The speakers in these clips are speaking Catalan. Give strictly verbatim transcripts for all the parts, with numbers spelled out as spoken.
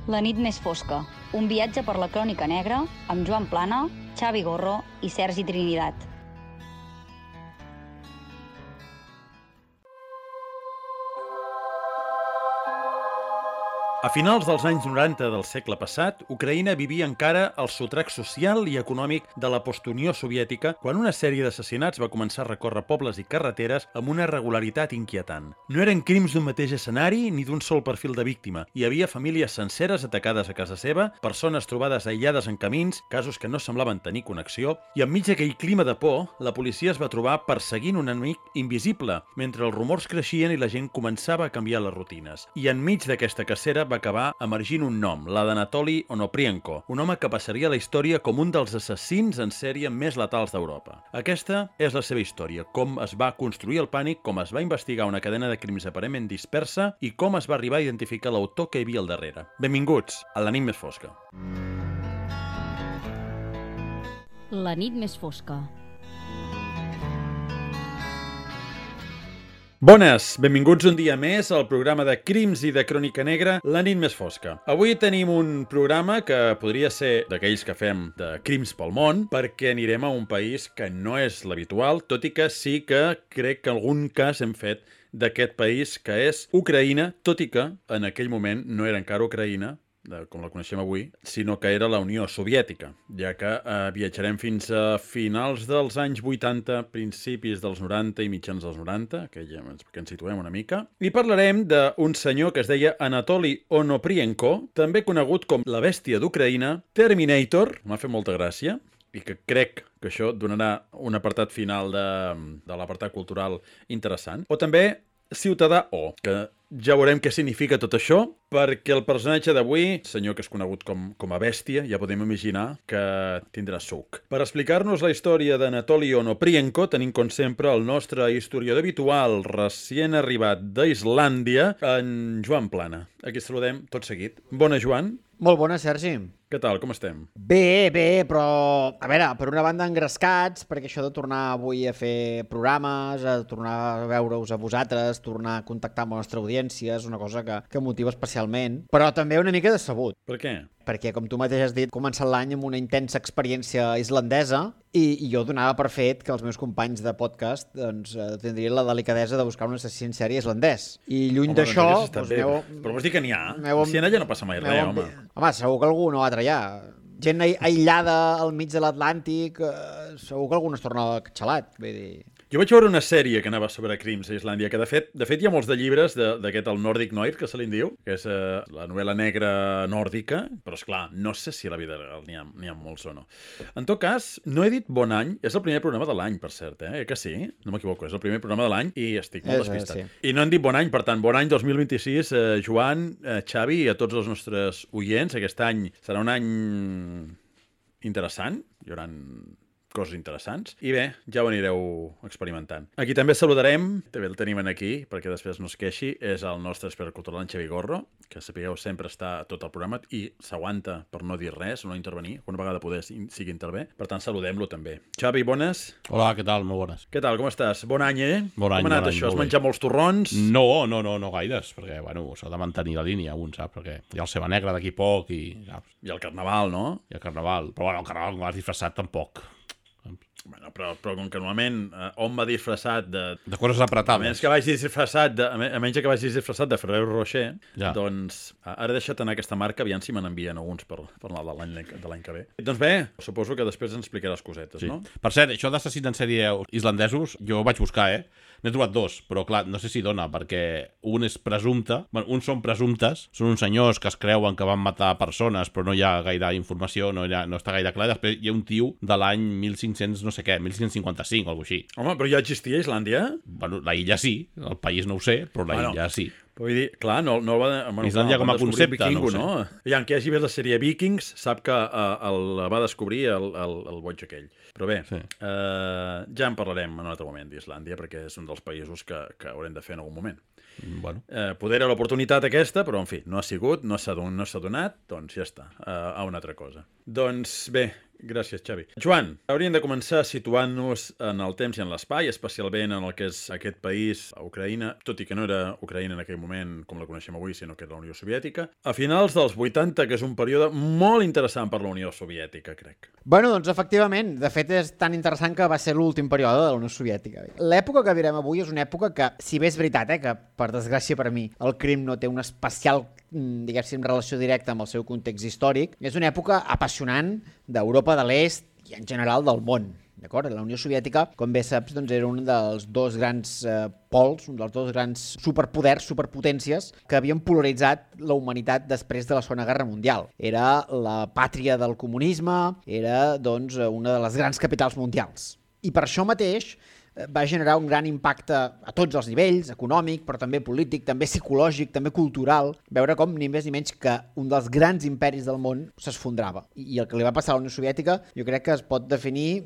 La nit més fosca, un viatge per la crònica negra amb Joan Plana, Xavi Gorro i Sergi Trinidad. A finals dels anys noranta del segle passat, Ucraïna vivia encara el sotrac social i econòmic de la postunió soviètica quan una sèrie d'assassinats va començar a recórrer pobles i carreteres amb una regularitat inquietant. No eren crims d'un mateix escenari ni d'un sol perfil de víctima. Hi havia famílies senceres atacades a casa seva, persones trobades aïllades en camins, casos que no semblaven tenir connexió, i enmig d'aquell clima de por, la policia es va trobar perseguint un enemic invisible, mentre els rumors creixien i la gent començava a canviar les rutines. I enmig d'aquesta cacera va acabar emergint un nom, la d'Anatoly Onoprienko, un home que passaria a la història com un dels assassins en sèrie més letals d'Europa. Aquesta és la seva història, com es va construir el pànic, com es va investigar una cadena de crims aparentment dispersa i com es va arribar a identificar l'autor que hi havia al darrere. Benvinguts a La nit més fosca. La nit més fosca. Bones, benvinguts un dia més al programa de Crims i de Crònica Negra, La nit més fosca. Avui tenim un programa que podria ser d'aquells que fem de crims pel món, perquè anirem a un país que no és l'habitual, tot i que sí que crec que algun cas hem fet d'aquest país, que és Ucraïna, tot i que en aquell moment no era encara Ucraïna, com la coneixem avui, sinó que era la Unió Soviètica, ja que eh, viatjarem fins a finals dels anys vuitanta, principis dels noranta i mitjans dels noranta, que ja que ens situem una mica, i parlarem d'un senyor que es deia Anatoly Onoprienko, també conegut com la bèstia d'Ucraïna, Terminator, m'ha fet molta gràcia, i que crec que això donarà un apartat final de, de l'apartat cultural interessant, o també Ciutadà O, que ja veurem què significa tot això, perquè el personatge d'avui, senyor que és conegut com, com a bèstia, ja podem imaginar que tindrà suc. Per explicar-nos la història d'Anatoly Onoprienko, tenim com sempre el nostre historiador habitual, recient arribat d'Islàndia, en Joan Plana. Aquí saludem tot seguit. Bona, Joan. Molt bona, Sergi. Què tal, com estem? Bé, bé, però, a veure, per una banda engrescats, perquè això de tornar avui a fer programes, a tornar a veure-us a vosaltres, tornar a contactar amb la nostra audiència, és una cosa que, que motiva especialment, però també una mica decebut. Per què? Perquè, com tu mateix has dit, he començat l'any amb una intensa experiència islandesa i, i jo donava per fet que els meus companys de podcast doncs, tindrien la delicadesa de buscar un assassí en sèrie islandès. I lluny d'això... Doncs meu... Però vols dir que n'hi ha? Meu... Si en allà no passa mai res, home. Home, segur que algú no va trallar. Gent aïllada al mig de l'Atlàntic, eh, segur que algú no es torna xalat, vull dir... Jo vaig veure una sèrie que anava sobre crims a Islàndia, que de fet de fet hi ha molts de llibres d'aquest, el Nordic Noir, que se li diu, que és eh, la novel·la negra nòrdica, però esclar, no sé si a la vida real n'hi ha, n'hi ha molts o no. En tot cas, no he dit bon any, és el primer programa de l'any, per cert, eh? Que sí? No m'equivoco, és el primer programa de l'any i estic molt és, despistat. Sí. I no hem dit bon any, per tant, bon any dos mil vint-i-sis, eh, Joan, eh, Xavi i a tots els nostres oients. Aquest any serà un any interessant, hi haurà coses interessants. I bé, ja ho anireu experimentant. Aquí també saludarem, també el tenim aquí, perquè després no es queixi, és el nostre expert cultural, en Xavi Gorro, que sapigueu sempre està a tot el programa i s'aguanta per no dir res, no intervenir, una vegada poder sigui intervé. Per tant, saludem-lo també. Xavi, bones? Hola, què tal? Molt bones. Què tal, com estàs? Bon any, eh? Bon any, com ha anat bon any, això? Has molt menjat bé. molts torrons? No, no, no, no gaires, perquè, bueno, s'ha de mantenir la línia, un, saps? Perquè hi ha el Ceba Negra d'aquí poc i, saps? I el Carnaval, no? I el Carnaval. Però, bueno, el Carnaval com l'has disfressat tampoc. Bueno, però, però com que normalment eh, on va disfressat de... De coses A apretades. menys que vagis disfressat de, a menys que vagis disfressat de Ferrero Rocher, Ja. doncs ara deixa't anar aquesta marca, aviam si me n'envien alguns per, per l'any de l'any que ve. Doncs bé, suposo que després ens explicaràs cosetes, Sí. no? Per cert, això d'assassins en sèrie islandesos, jo ho vaig buscar, eh? N'he trobat dos, però clar, no sé si dona, perquè un és presumpte, bueno, uns són presumptes, són uns senyors que es creuen que van matar persones, però no hi ha gaire informació, no, hi ha, no està gaire clar. Després hi ha un tio de l'any mil cinc-cents, no sé què, mil cinc-cents cinquanta-cinc o alguna cosa així. Home, però ja existia a Islàndia? Bueno, la illa sí, el país no ho sé, però la Bueno. illa sí. Però vull dir, clar, no, no el va... Bueno, Islàndia clar, com a van descobrir concepte, Vikingo, no ho sé. no? Aviam, qui hagi vist la sèrie Vikings sap que uh, el va descobrir el, el, el boig aquell. Però bé, Sí. uh, ja en parlarem en un altre moment d'Islàndia, perquè és un dels països que, que haurem de fer en algun moment. Bueno. Eh, poder era l'oportunitat aquesta, però en fi, no ha sigut, no s'ha don, no s'ha donat, doncs ja està, uh, a una altra cosa. Doncs bé, Gràcies, Xavi. Joan, hauríem de començar situant-nos en el temps i en l'espai, especialment en el que és aquest país, a Ucraïna, tot i que no era Ucraïna en aquell moment com la coneixem avui, sinó que era la Unió Soviètica, a finals dels vuitanta, que és un període molt interessant per la Unió Soviètica, crec. Bueno, doncs efectivament, de fet és tan interessant que va ser l'últim període de la Unió Soviètica. L'època que virem avui és una època que, si bé és veritat, eh, que per desgràcia per mi el crim no té una especial, diguéssim, relació directa amb el seu context històric, és una època apassionant d'Europa de l'Est i en general del món. D'acord? La Unió Soviètica, com bé saps, doncs era un dels dos grans eh, pols, un dels dos grans superpoders, superpotències que havien polaritzat la humanitat després de la Segona Guerra Mundial. Era la pàtria del comunisme, era doncs una de les grans capitals mundials. I per això mateix va generar un gran impacte a tots els nivells, econòmic, però també polític, també psicològic, també cultural, veure com ni més ni menys que un dels grans imperis del món s'esfondrava. I el que li va passar a la Unió Soviètica jo crec que es pot definir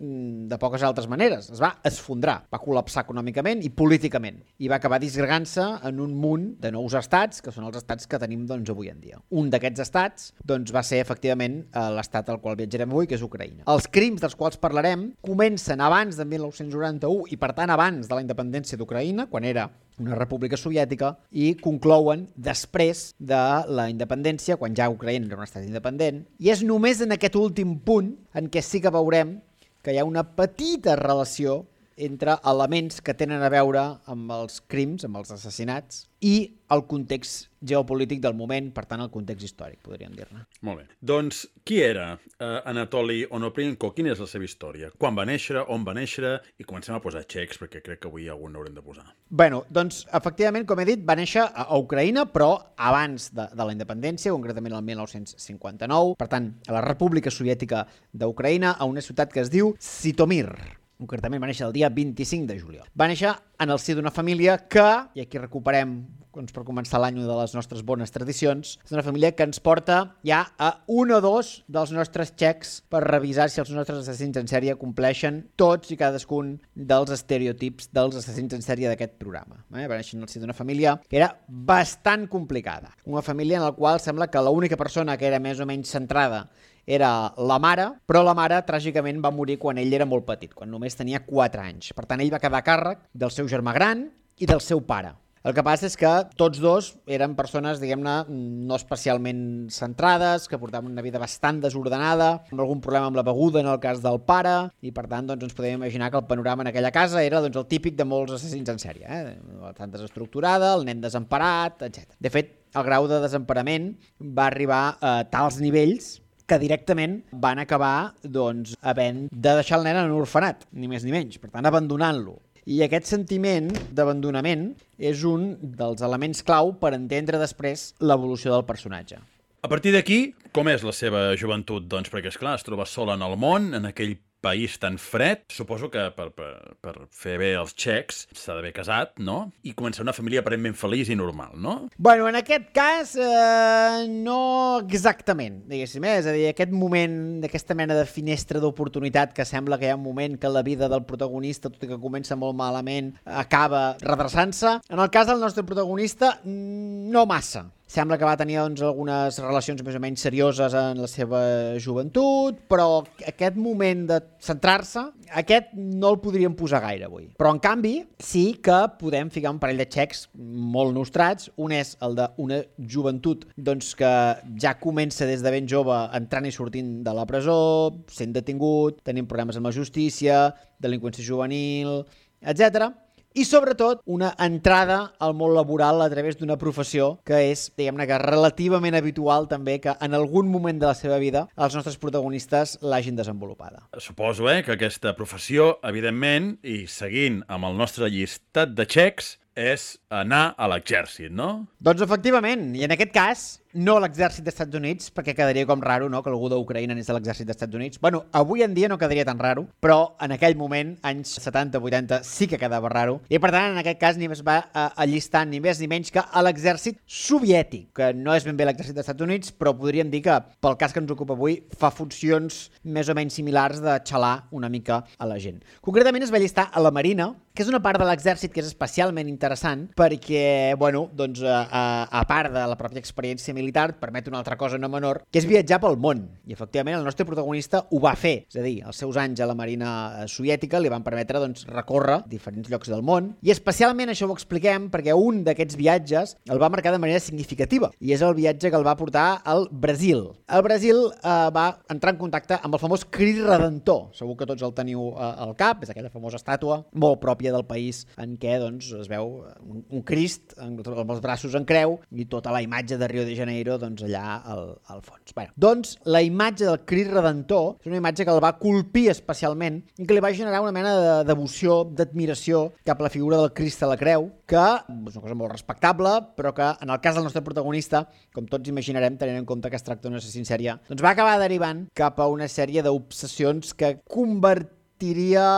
de poques altres maneres. Es va esfondrar, va col·lapsar econòmicament i políticament, i va acabar disgregant-se en un munt de nous estats, que són els estats que tenim doncs, avui en dia. Un d'aquests estats doncs, va ser efectivament l'estat al qual viatjarem avui, que és Ucraïna. Els crims dels quals parlarem comencen abans de mil nou-cents noranta-u i per tant abans de la independència d'Ucraïna, quan era una república soviètica, i conclouen després de la independència, quan ja Ucraïna era un estat independent, i és només en aquest últim punt en què sí que veurem que hi ha una petita relació entre elements que tenen a veure amb els crims, amb els assassinats, i el context geopolític del moment, per tant, el context històric, podríem dir-ne. Molt bé. Doncs, qui era uh, Anatoli Onoprenko? Quina és la seva història? Quan va néixer? On va néixer? I comencem a posar xecs, perquè crec que avui algun n'haurem de posar. Bueno, doncs, efectivament, com he dit, va néixer a Ucraïna, però abans de, de la independència, concretament el mil nou-cents cinquanta-nou, per tant, a la República Soviètica d'Ucraïna, a una ciutat que es diu Zitomir. Concretament va néixer el dia vint-i-cinc de juliol. Va néixer en el si d'una família que, i aquí recuperem, doncs per començar l'any de les nostres bones tradicions, és una família que ens porta ja a un o dos dels nostres xecs per revisar si els nostres assassins en sèrie compleixen tots i cadascun dels estereotips dels assassins en sèrie d'aquest programa. Eh? Va néixer en el si d'una família que era bastant complicada. Una família en la qual sembla que l'única persona que era més o menys centrada era la mare, però la mare tràgicament va morir quan ell era molt petit, quan només tenia quatre anys. Per tant, ell va quedar a càrrec del seu germà gran i del seu pare. El que passa és que tots dos eren persones, diguem-ne, no especialment centrades, que portaven una vida bastant desordenada, amb algun problema amb la beguda en el cas del pare, i per tant doncs, ens podem imaginar que el panorama en aquella casa era doncs, el típic de molts assassins en sèrie. Eh? Bastant desestructurada, el nen desemparat, etcètera. De fet, el grau de desemparament va arribar a tals nivells que directament van acabar doncs, havent de deixar el nen en un orfenat, ni més ni menys, per tant abandonant-lo. I aquest sentiment d'abandonament és un dels elements clau per entendre després l'evolució del personatge. A partir d'aquí, com és la seva joventut? Doncs perquè, esclar, es troba sola en el món, en aquell país tan fred. Suposo que per, per, per fer bé els xecs s'ha d'haver casat, no? I començar una família aparentment feliç i normal, no? Bueno, en aquest cas, eh, no exactament, diguéssim. Eh? És a dir, aquest moment, d'aquesta mena de finestra d'oportunitat que sembla que hi ha un moment que la vida del protagonista, tot i que comença molt malament, acaba redreçant-se. En el cas del nostre protagonista, no massa. Sembla que va tenir doncs, algunes relacions més o menys serioses en la seva joventut, però aquest moment de centrar-se, aquest no el podríem posar gaire avui. Però, en canvi, sí que podem ficar un parell de xecs molt nostrats. Un és el d'una joventut doncs, que ja comença des de ben jove entrant i sortint de la presó, sent detingut, tenint problemes amb la justícia, delinqüència juvenil, etcètera. I, sobretot, una entrada al món laboral a través d'una professió que és, diguem-ne, que relativament habitual també que en algun moment de la seva vida els nostres protagonistes l'hagin desenvolupada. Suposo, eh, que aquesta professió, evidentment, i seguint amb el nostre llistat de xecs, és anar a l'exèrcit, no? Doncs efectivament, i en aquest cas no a l'exèrcit dels Estats Units, perquè quedaria com raro, no?, que algú d'Ucraïna anés a l'exèrcit dels Estats Units. Bueno, avui en dia no quedaria tan raro, però en aquell moment, anys setanta vuitanta, sí que quedava raro. I per tant, en aquest cas, ni més va allistar ni més ni menys que a l'exèrcit soviètic, que no és ben bé l'exèrcit dels Estats Units, però podríem dir que, pel cas que ens ocupa avui, fa funcions més o menys similars de xalar una mica a la gent. Concretament es va allistar a la Marina, que és una part de l'exèrcit que és especialment interessant perquè, bueno, doncs, a, a part de la pròpia experiència militar, militar et permet una altra cosa no menor, que és viatjar pel món. I efectivament el nostre protagonista ho va fer. És a dir, els seus anys a la Marina soviètica li van permetre doncs, recórrer diferents llocs del món. I especialment això ho expliquem perquè un d'aquests viatges el va marcar de manera significativa. I és el viatge que el va portar al Brasil. El Brasil eh, va entrar en contacte amb el famós Crist Redentor. Segur que tots el teniu eh, al cap. És aquella famosa estàtua molt pròpia del país en què doncs, es veu un, un Crist amb els braços en creu i tota la imatge de Rio de Janeiro doncs, allà al, al fons. Bé, doncs la imatge del Crist Redentor és una imatge que el va colpir especialment i que li va generar una mena de devoció, d'admiració cap a la figura del Crist a la creu, que és una cosa molt respectable, però que en el cas del nostre protagonista, com tots imaginarem, tenint en compte que es tracta d'una assassí en sèrie, doncs va acabar derivant cap a una sèrie d'obsessions que convertiria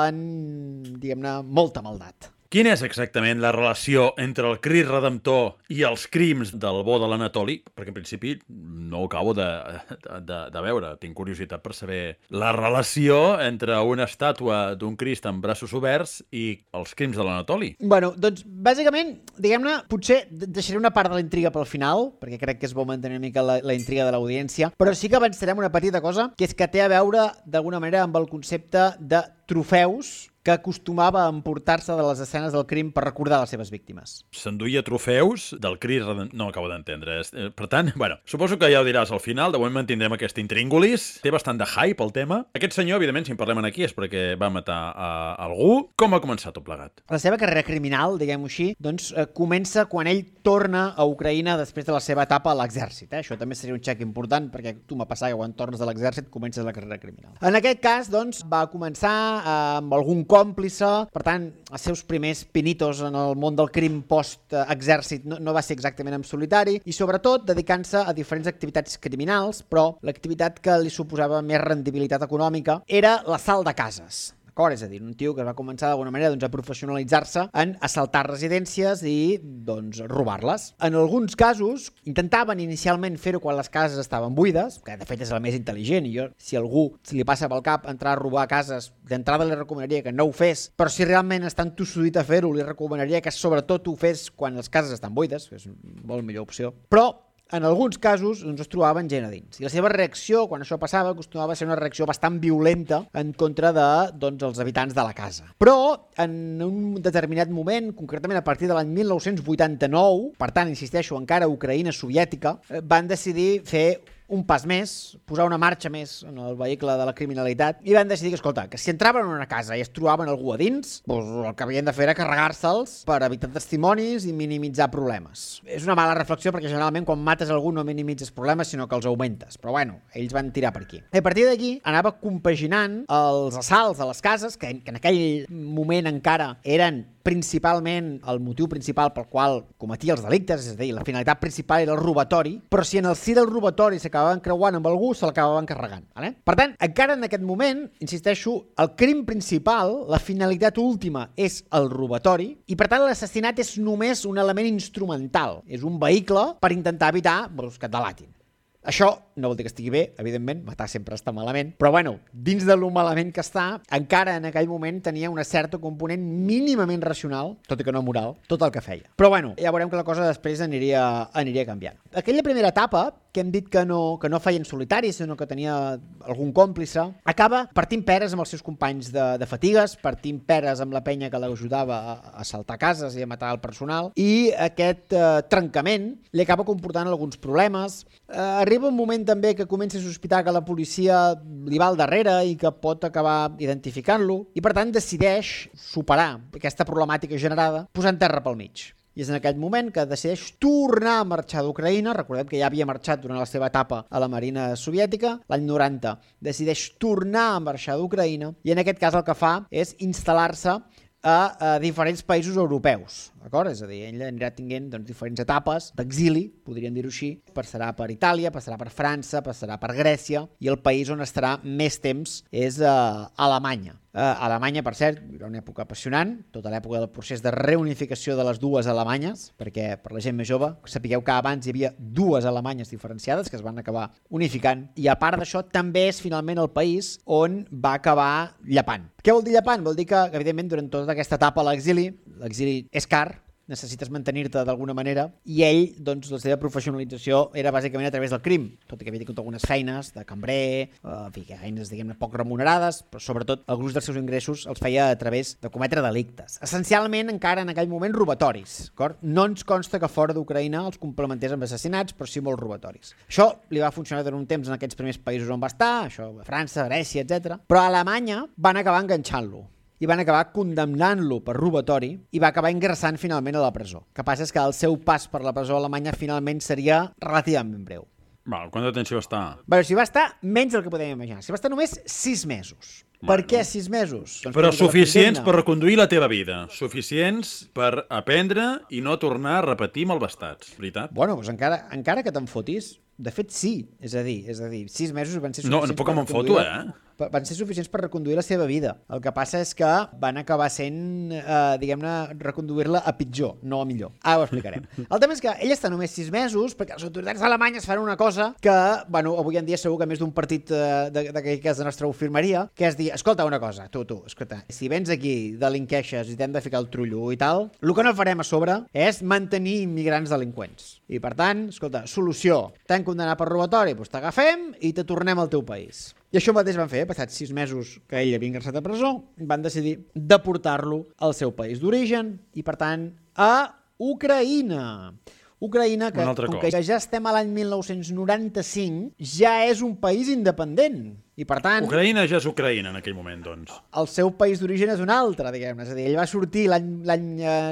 en, diguem-ne, molta maldat. Quina és exactament la relació entre el Crist Redemptor i els crims del bo de l'Anatoli? Perquè en principi no ho acabo de, de, de veure. Tinc curiositat per saber la relació entre una estàtua d'un Crist amb braços oberts i els crims de l'Anatoli. Bueno, doncs, bàsicament, diguem-ne, potser deixaré una part de la intriga pel final, perquè crec que és bo mantenir una mica la, la intriga de l'audiència, però sí que avançarem una petita cosa, que és que té a veure, d'alguna manera, amb el concepte de trofeus que acostumava a emportar-se de les escenes del crim per recordar les seves víctimes. S'enduia trofeus del Crist Redentor... No acabo d'entendre. Per tant, bueno, suposo que ja ho diràs al final. De moment mantindrem aquest intríngulis. Té bastant de hype el tema. Aquest senyor, evidentment, si en parlem aquí és perquè va matar a algú. Com va començar tot plegat? La seva carrera criminal, diguem-ho així, doncs eh, comença quan ell torna a Ucraïna després de la seva etapa a l'exèrcit. Eh? Això també seria un xec important perquè tu m'ha passat que quan tornes de l'exèrcit comences la carrera criminal. En aquest cas, doncs, va començar eh, amb algun còmplice, per tant, els seus primers pinitos en el món del crim post-exèrcit no, no va ser exactament en solitari i sobretot dedicant-se a diferents activitats criminals, però l'activitat que li suposava més rendibilitat econòmica era l'assalt de cases. D'acord? És a dir, un tio que va començar d'alguna manera doncs, a professionalitzar-se en assaltar residències i doncs, robar-les. En alguns casos intentaven inicialment fer-ho quan les cases estaven buides, que de fet és el més intel·ligent, i jo, si algú se li passa pel cap entrar a robar cases, d'entrada li recomanaria que no ho fes, però si realment està entossudit a fer-ho, li recomanaria que sobretot ho fes quan les cases estan buides, que és una molt millor opció. Però en alguns casos ens trobaven gent a dins. I la seva reacció, quan això passava, acostumava a ser una reacció bastant violenta en contra de, doncs, els habitants de la casa. Però, en un determinat moment, concretament a partir de l'any mil nou-cents vuitanta-nou, per tant, insisteixo, encara Ucraïna soviètica, van decidir fer un pas més, posar una marxa més en el vehicle de la criminalitat i van decidir que, escolta, que si entraven en una casa i es trobaven algú a dins, doncs el que havien de fer era carregar-se'ls per evitar testimonis i minimitzar problemes. És una mala reflexió perquè generalment quan mates algú no minimitzes problemes sinó que els augmentes, però bueno, ells van tirar per aquí. I a partir d'aquí anava compaginant els assalts a les cases, que en aquell moment encara eren principalment el motiu principal pel qual cometia els delictes, és a dir, la finalitat principal era el robatori, però si en el si del robatori s'acabaven creuant amb algú, se l'acabaven carregant. Vale? Per tant, encara en aquest moment, insisteixo, el crim principal, la finalitat última és el robatori, i per tant l'assassinat és només un element instrumental, és un vehicle per intentar evitar doncs, que et delatin. Això no vol dir que estigui bé, evidentment, matar sempre està malament, però bueno, dins de lo malament que està, encara en aquell moment tenia una certa component mínimament racional, tot i que no moral, tot el que feia. Però bueno, ja veurem que la cosa després aniria, aniria canviant. Aquella primera etapa, que hem dit que no, que no feia en solitari, sinó que tenia algun còmplice, acaba partint peres amb els seus companys de, de fatigues, partint peres amb la penya que l'ajudava a, a assaltar cases i a matar el personal, i aquest eh, trencament li acaba comportant alguns problemes. Eh, arriba un moment també que comença a sospitar que la policia li va al darrere i que pot acabar identificant-lo, i per tant decideix superar aquesta problemàtica generada posant terra pel mig. I és en aquell moment que decideix tornar a marxar d'Ucraïna. Recordem que ja havia marxat durant la seva etapa a la Marina soviètica. L'any noranta decideix tornar a marxar d'Ucraïna i en aquest cas el que fa és instal·lar-se a, a diferents països europeus. D'acord? És a dir, ell anirà tinguent doncs, diferents etapes d'exili, podríem dir-ho així. Passarà per Itàlia, passarà per França, passarà per Grècia i el país on estarà més temps és a Alemanya. A Alemanya, per cert, era una època apassionant, tota l'època del procés de reunificació de les dues Alemanyes, perquè per la gent més jove sapigueu que abans hi havia dues Alemanyes diferenciades que es van acabar unificant i a part d'això també és finalment el país on va acabar llepant. Què vol dir llepant? Vol dir que, evidentment, durant tota aquesta etapa a l'exili, l'exili és car, necessites mantenir-te d'alguna manera, i ell, doncs, la seva professionalització era bàsicament a través del crim, tot i que havia tingut algunes feines de cambrer, eh, en fi, feines, diguem-ne, poc remunerades, però sobretot el gruix dels seus ingressos els feia a través de cometre delictes. Essencialment, encara en aquell moment, robatoris. D'acord? No ens consta que fora d'Ucraïna els complementés amb assassinats, però sí molts robatoris. Això li va funcionar durant un temps en aquests primers països on va estar, això, França, Grècia, etcètera. Però a Alemanya van acabar enganxant-lo i van acabar condemnant-lo per robatori i va acabar ingressant finalment a la presó. El que passa és que el seu pas per la presó alemanya finalment seria relativament breu. Val, quant de tensió està? Bé, si va estar menys del que podem imaginar. Si va estar només sis mesos. Bueno. Per què sis mesos? Doncs però suficients per reconduir la teva vida. Suficients per aprendre i no tornar a repetir malvestats, veritat? Bueno, doncs encara, encara que te'n fotis, de fet sí. És a dir, és a dir, sis mesos van ser suficients... No, no puc que me'n foto, eh? Van ser suficients per reconduir la seva vida. El que passa és que van acabar sent, eh, diguem-ne, reconduir-la a pitjor, no a millor. Ara ho explicarem. El tema és que ell està només sis mesos perquè les autoritats alemanyes fan una cosa que, bueno, avui en dia segur que més d'un partit eh, d'aquell cas de nostre ho firmaria, que és dir, escolta una cosa, tu, tu, escolta, si vens aquí, delinqueixes i t'hem de ficar el trullo i tal, el que no farem a sobre és mantenir immigrants delinqüents. I per tant, escolta, solució, t'han condemnat per robatori, doncs t'agafem i te tornem al teu país. I això mateix van fer, passats sis mesos que ell havia ingressat a presó, van decidir deportar-lo al seu país d'origen i, per tant, a Ucraïna. Ucraïna, que, com que ja estem a l'any mil nou-cents noranta-cinc, ja és un país independent. I, per tant... Ucraïna ja és Ucraïna en aquell moment, doncs. El seu país d'origen és un altre, diguem-ne. És a dir, ell va sortir l'any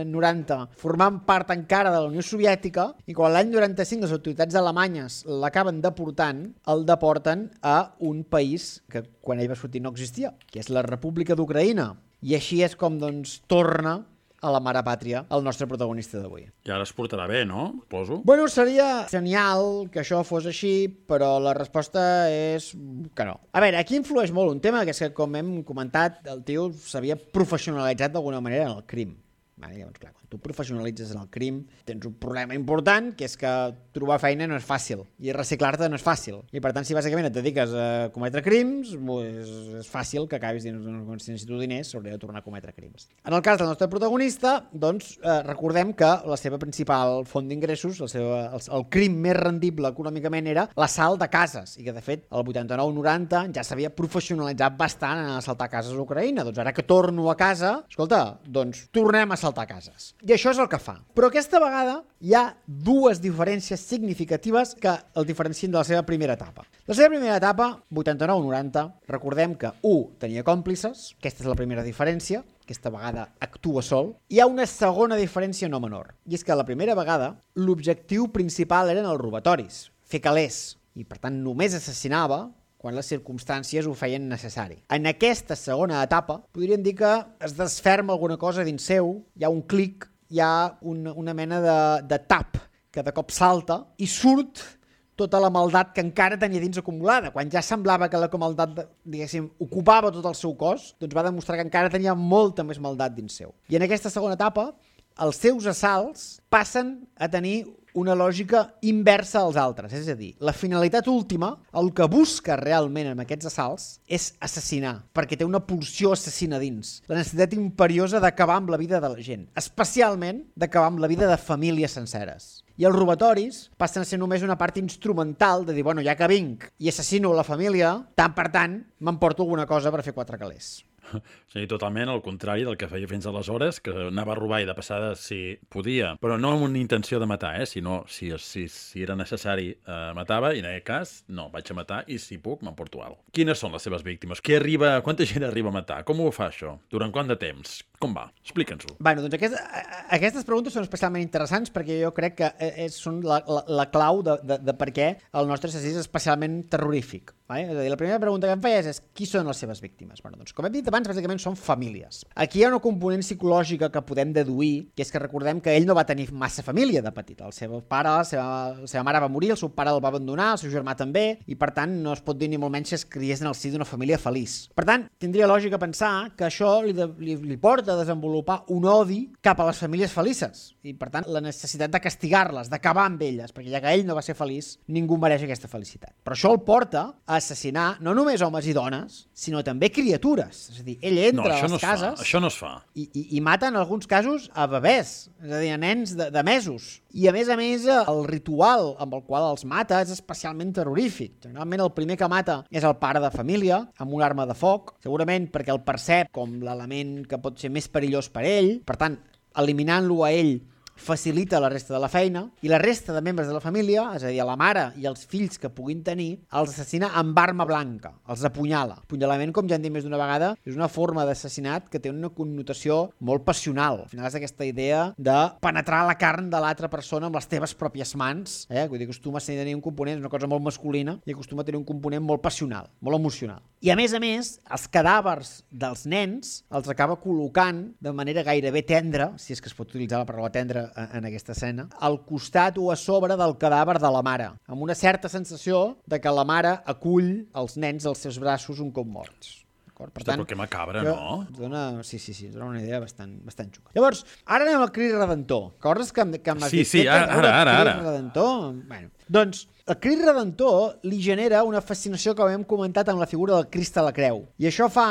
noranta formant part encara de la Unió Soviètica i quan l'any noranta-cinc les autoritats alemanyes l'acaben deportant, el deporten a un país que quan ell va sortir no existia, que és la República d'Ucraïna. I així és com, doncs, torna a la mare pàtria, el nostre protagonista d'avui. I ara es portarà bé, no? Poso. Bueno, seria genial que això fos així, però la resposta és que no. A veure, aquí influeix molt un tema, que és que, com hem comentat, el tio s'havia professionalitzat d'alguna manera en el crim. Vale, llavors, clar, quan tu professionalitzes en el crim, tens un problema important, que és que trobar feina no és fàcil, i reciclar-te no és fàcil. I per tant, si bàsicament et dediques a cometre crims, és, és fàcil que acabis dient, si necessito diners, s'hauria de tornar a cometre crims. En el cas del nostre protagonista, doncs, eh, recordem que la seva principal font d'ingressos, el, seu, el, el crim més rendible econòmicament era l'assalt de cases, i que, de fet, el vuitanta-nou noranta ja s'havia professionalitzat bastant en assaltar cases a Ucraïna. Doncs ara que torno a casa, escolta, doncs tornem a assaltar cases. I això és el que fa. Però aquesta vegada hi ha dues diferències significatives que el diferencien de la seva primera etapa. La seva primera etapa, vuitanta-nou noranta, recordem que u tenia còmplices, aquesta és la primera diferència, aquesta vegada actua sol. Hi ha una segona diferència no menor, i és que la primera vegada l'objectiu principal eren els robatoris, fer calés, i per tant només assassinava quan les circumstàncies ho feien necessari. En aquesta segona etapa, podríem dir que es desferma alguna cosa dins seu, hi ha un clic, hi ha una, una mena de, de tap que de cop salta i surt tota la maldat que encara tenia dins acumulada. Quan ja semblava que la maldat, diguéssim, ocupava tot el seu cos, doncs va demostrar que encara tenia molta més maldat dins seu. I en aquesta segona etapa, els seus assalts passen a tenir una lògica inversa als altres. És a dir, la finalitat última, el que busca realment amb aquests assalts, és assassinar, perquè té una pulsió assassina dins. La necessitat imperiosa d'acabar amb la vida de la gent, especialment d'acabar amb la vida de famílies senceres. I els robatoris passen a ser només una part instrumental de dir, bueno, ja que vinc i assassino la família, tant per tant, m'emporto alguna cosa per fer quatre calés. Sí, totalment el contrari del que feia fins aleshores, que anava a robar i de passada si podia, però no amb una intenció de matar, eh? sinó si, si, si era necessari eh, matava, i en aquest cas no, vaig a matar i si puc m'emporto alguna cosa. Quines són les seves víctimes? Qui arriba, quanta gent arriba a matar? Com ho fa això? Durant quant de temps? Com va? Explica'ns-ho. Bueno, doncs aquest, aquestes preguntes són especialment interessants perquè jo crec que és, són la, la, la clau de, de, de per què el nostre assassí és especialment terrorífic. Vale? És a dir, la primera pregunta que em feies és qui són les seves víctimes? Bueno, doncs, com hem dit abans, bàsicament són famílies. Aquí hi ha una component psicològica que podem deduir, que és que recordem que ell no va tenir massa família de petit. El seu pare, la seva, la seva mare va morir, el seu pare el va abandonar, el seu germà també, i per tant no es pot dir ni molt menys que es criés en el si d'una família feliç. Per tant, tindria lògica pensar que això li, de, li, li porta a desenvolupar un odi cap a les famílies felices, i per tant la necessitat de castigar-les, d'acabar amb elles, perquè ja que ell no va ser feliç, ningú mereix aquesta felicitat. Però això el porta a assassinar no només homes i dones, sinó també criatures. És a dir, ell entra no, a les no cases... Fa. Això no es fa. I, i, i mata en alguns casos a bebès, és a dir, a nens de, de mesos. I a més a més, el ritual amb el qual els mata és especialment terrorífic. Generalment el primer que mata és el pare de família, amb una arma de foc, segurament perquè el percep com l'element que pot ser més perillós per ell, per tant, eliminant-lo a ell facilita la resta de la feina, i la resta de membres de la família, és a dir, la mare i els fills que puguin tenir, els assassina amb arma blanca, els apunyala. Apunyalament, com ja hem dit més d'una vegada, és una forma d'assassinat que té una connotació molt passional. Al final és aquesta idea de penetrar la carn de l'altra persona amb les teves pròpies mans, eh? Vull dir, acostuma a tenir un component, és una cosa molt masculina, i acostuma a tenir un component molt passional, molt emocional. I a més a més, els cadàvers dels nens els acaba col·locant de manera gairebé tendra, si és que es pot utilitzar la paraula tendra en aquesta escena, al costat o a sobre del cadàver de la mare, amb una certa sensació de que la mare acull els nens als seus braços un cop morts. Per Hosta, tant, però que macabra, que no? Dona, sí, sí, sí, dona una idea bastant, bastant xuca. Llavors, ara anem al Crit Redentor. Recordes que, que m'has Sí, dit... sí, ara, ara, ara. ara. Crit Redentor? Bueno, doncs, el Crit Redentor li genera una fascinació que hem comentat amb la figura del Crist a la Creu. I això fa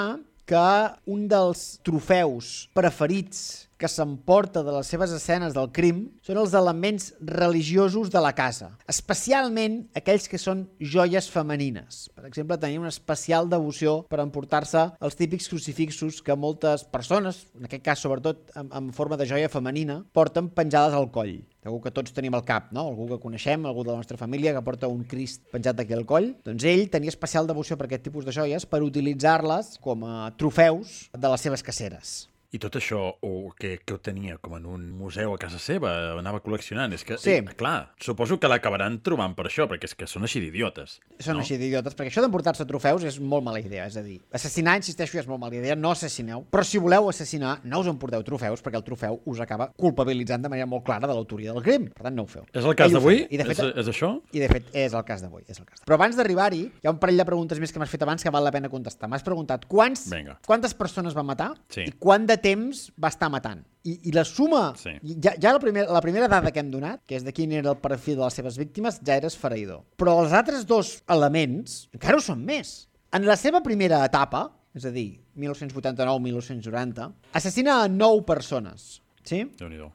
que un dels trofeus preferits que s'emporta de les seves escenes del crim són els elements religiosos de la casa, especialment aquells que són joies femenines. Per exemple, tenia una especial devoció per emportar-se els típics crucifixos que moltes persones, en aquest cas sobretot en, en forma de joia femenina, porten penjades al coll. Segur que tots tenim al cap, no? Algú que coneixem, algú de la nostra família que porta un Crist penjat aquí al coll. Doncs ell tenia especial devoció per aquest tipus de joies per utilitzar-les com a trofeus de les seves caceres. I tot això, o que, que ho tenia com en un museu a casa seva, anava col·leccionant. És que, Sí. eh, clar, suposo que l'acabaran trobant per això, perquè és que són així d'idiotes. Són no? així d'idiotes, perquè això d'emportar-se trofeus és molt mala idea, és a dir, assassinar, insisteixo, és molt mala idea, no assassineu, però si voleu assassinar, no us emporteu trofeus, perquè el trofeu us acaba culpabilitzant de manera molt clara de l'autoria del crim, per tant no ho feu. És el cas Ell ho d'avui? feia, i de fet- És, és això? I de fet és el cas d'avui, és el cas. Però abans d'arribar-hi, hi ha un parell de preguntes més que m'has fet abans que val la pena contestar. M'has preguntat quants, Vinga. quantes persones va matar Sí. i quant de temps va estar matant. I, i la suma, Sí. ja, ja la, primera, la primera dada que hem donat, que és de quin era el perfil de les seves víctimes, ja era esfereïdor. Però els altres dos elements encara ho són més. En la seva primera etapa, és a dir, mil nou-cents vuitanta-nou a mil nou-cents noranta, assassina a nou persones. Sí? Déu-n'hi-do.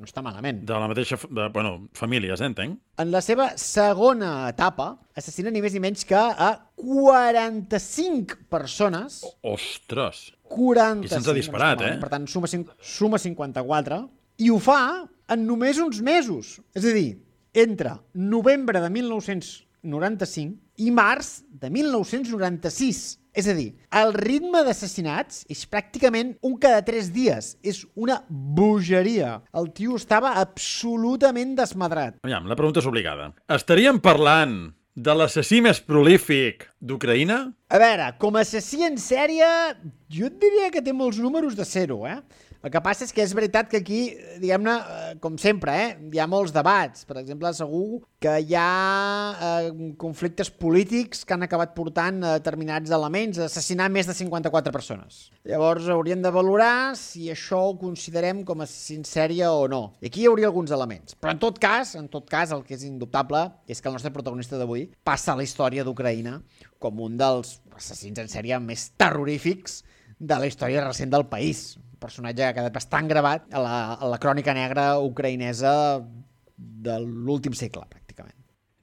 No està malament. De la mateixa, f- de, bueno, famílies, eh, entenc? En la seva segona etapa, assassina ni més ni menys que a quaranta-cinc persones. Ostres! quaranta-cinc. I se'ns ha disparat, eh? Per tant, suma, cinc, suma cinquanta-quatre. I ho fa en només uns mesos. És a dir, entre novembre de mil nou-cents noranta-cinc i març de mil nou-cents noranta-sis. És a dir, el ritme d'assassinats és pràcticament un cada tres dies. És una bogeria. El tio estava absolutament desmadrat. Aviam, la pregunta és obligada. Estaríem parlant de l'assassí més prolífic d'Ucraïna? A veure, com a assassí en sèrie, jo et diria que té molts números de zero, eh? El que passa és que és veritat que aquí, diguem-ne, eh, com sempre, eh, hi ha molts debats. Per exemple, segur que hi ha eh, conflictes polítics que han acabat portant a determinats elements a assassinar més de cinquanta-quatre persones. Llavors hauríem de valorar si això ho considerem com a assassí en sèrie o no. I aquí hi hauria alguns elements. Però en tot cas, en tot cas, el que és indubtable és que el nostre protagonista d'avui passa a la història d'Ucraïna com un dels assassins en sèrie més terrorífics de la història recent del país. Un personatge que ha quedat bastant gravat a la, a la crònica negra ucraïnesa de l'últim segle, pràcticament.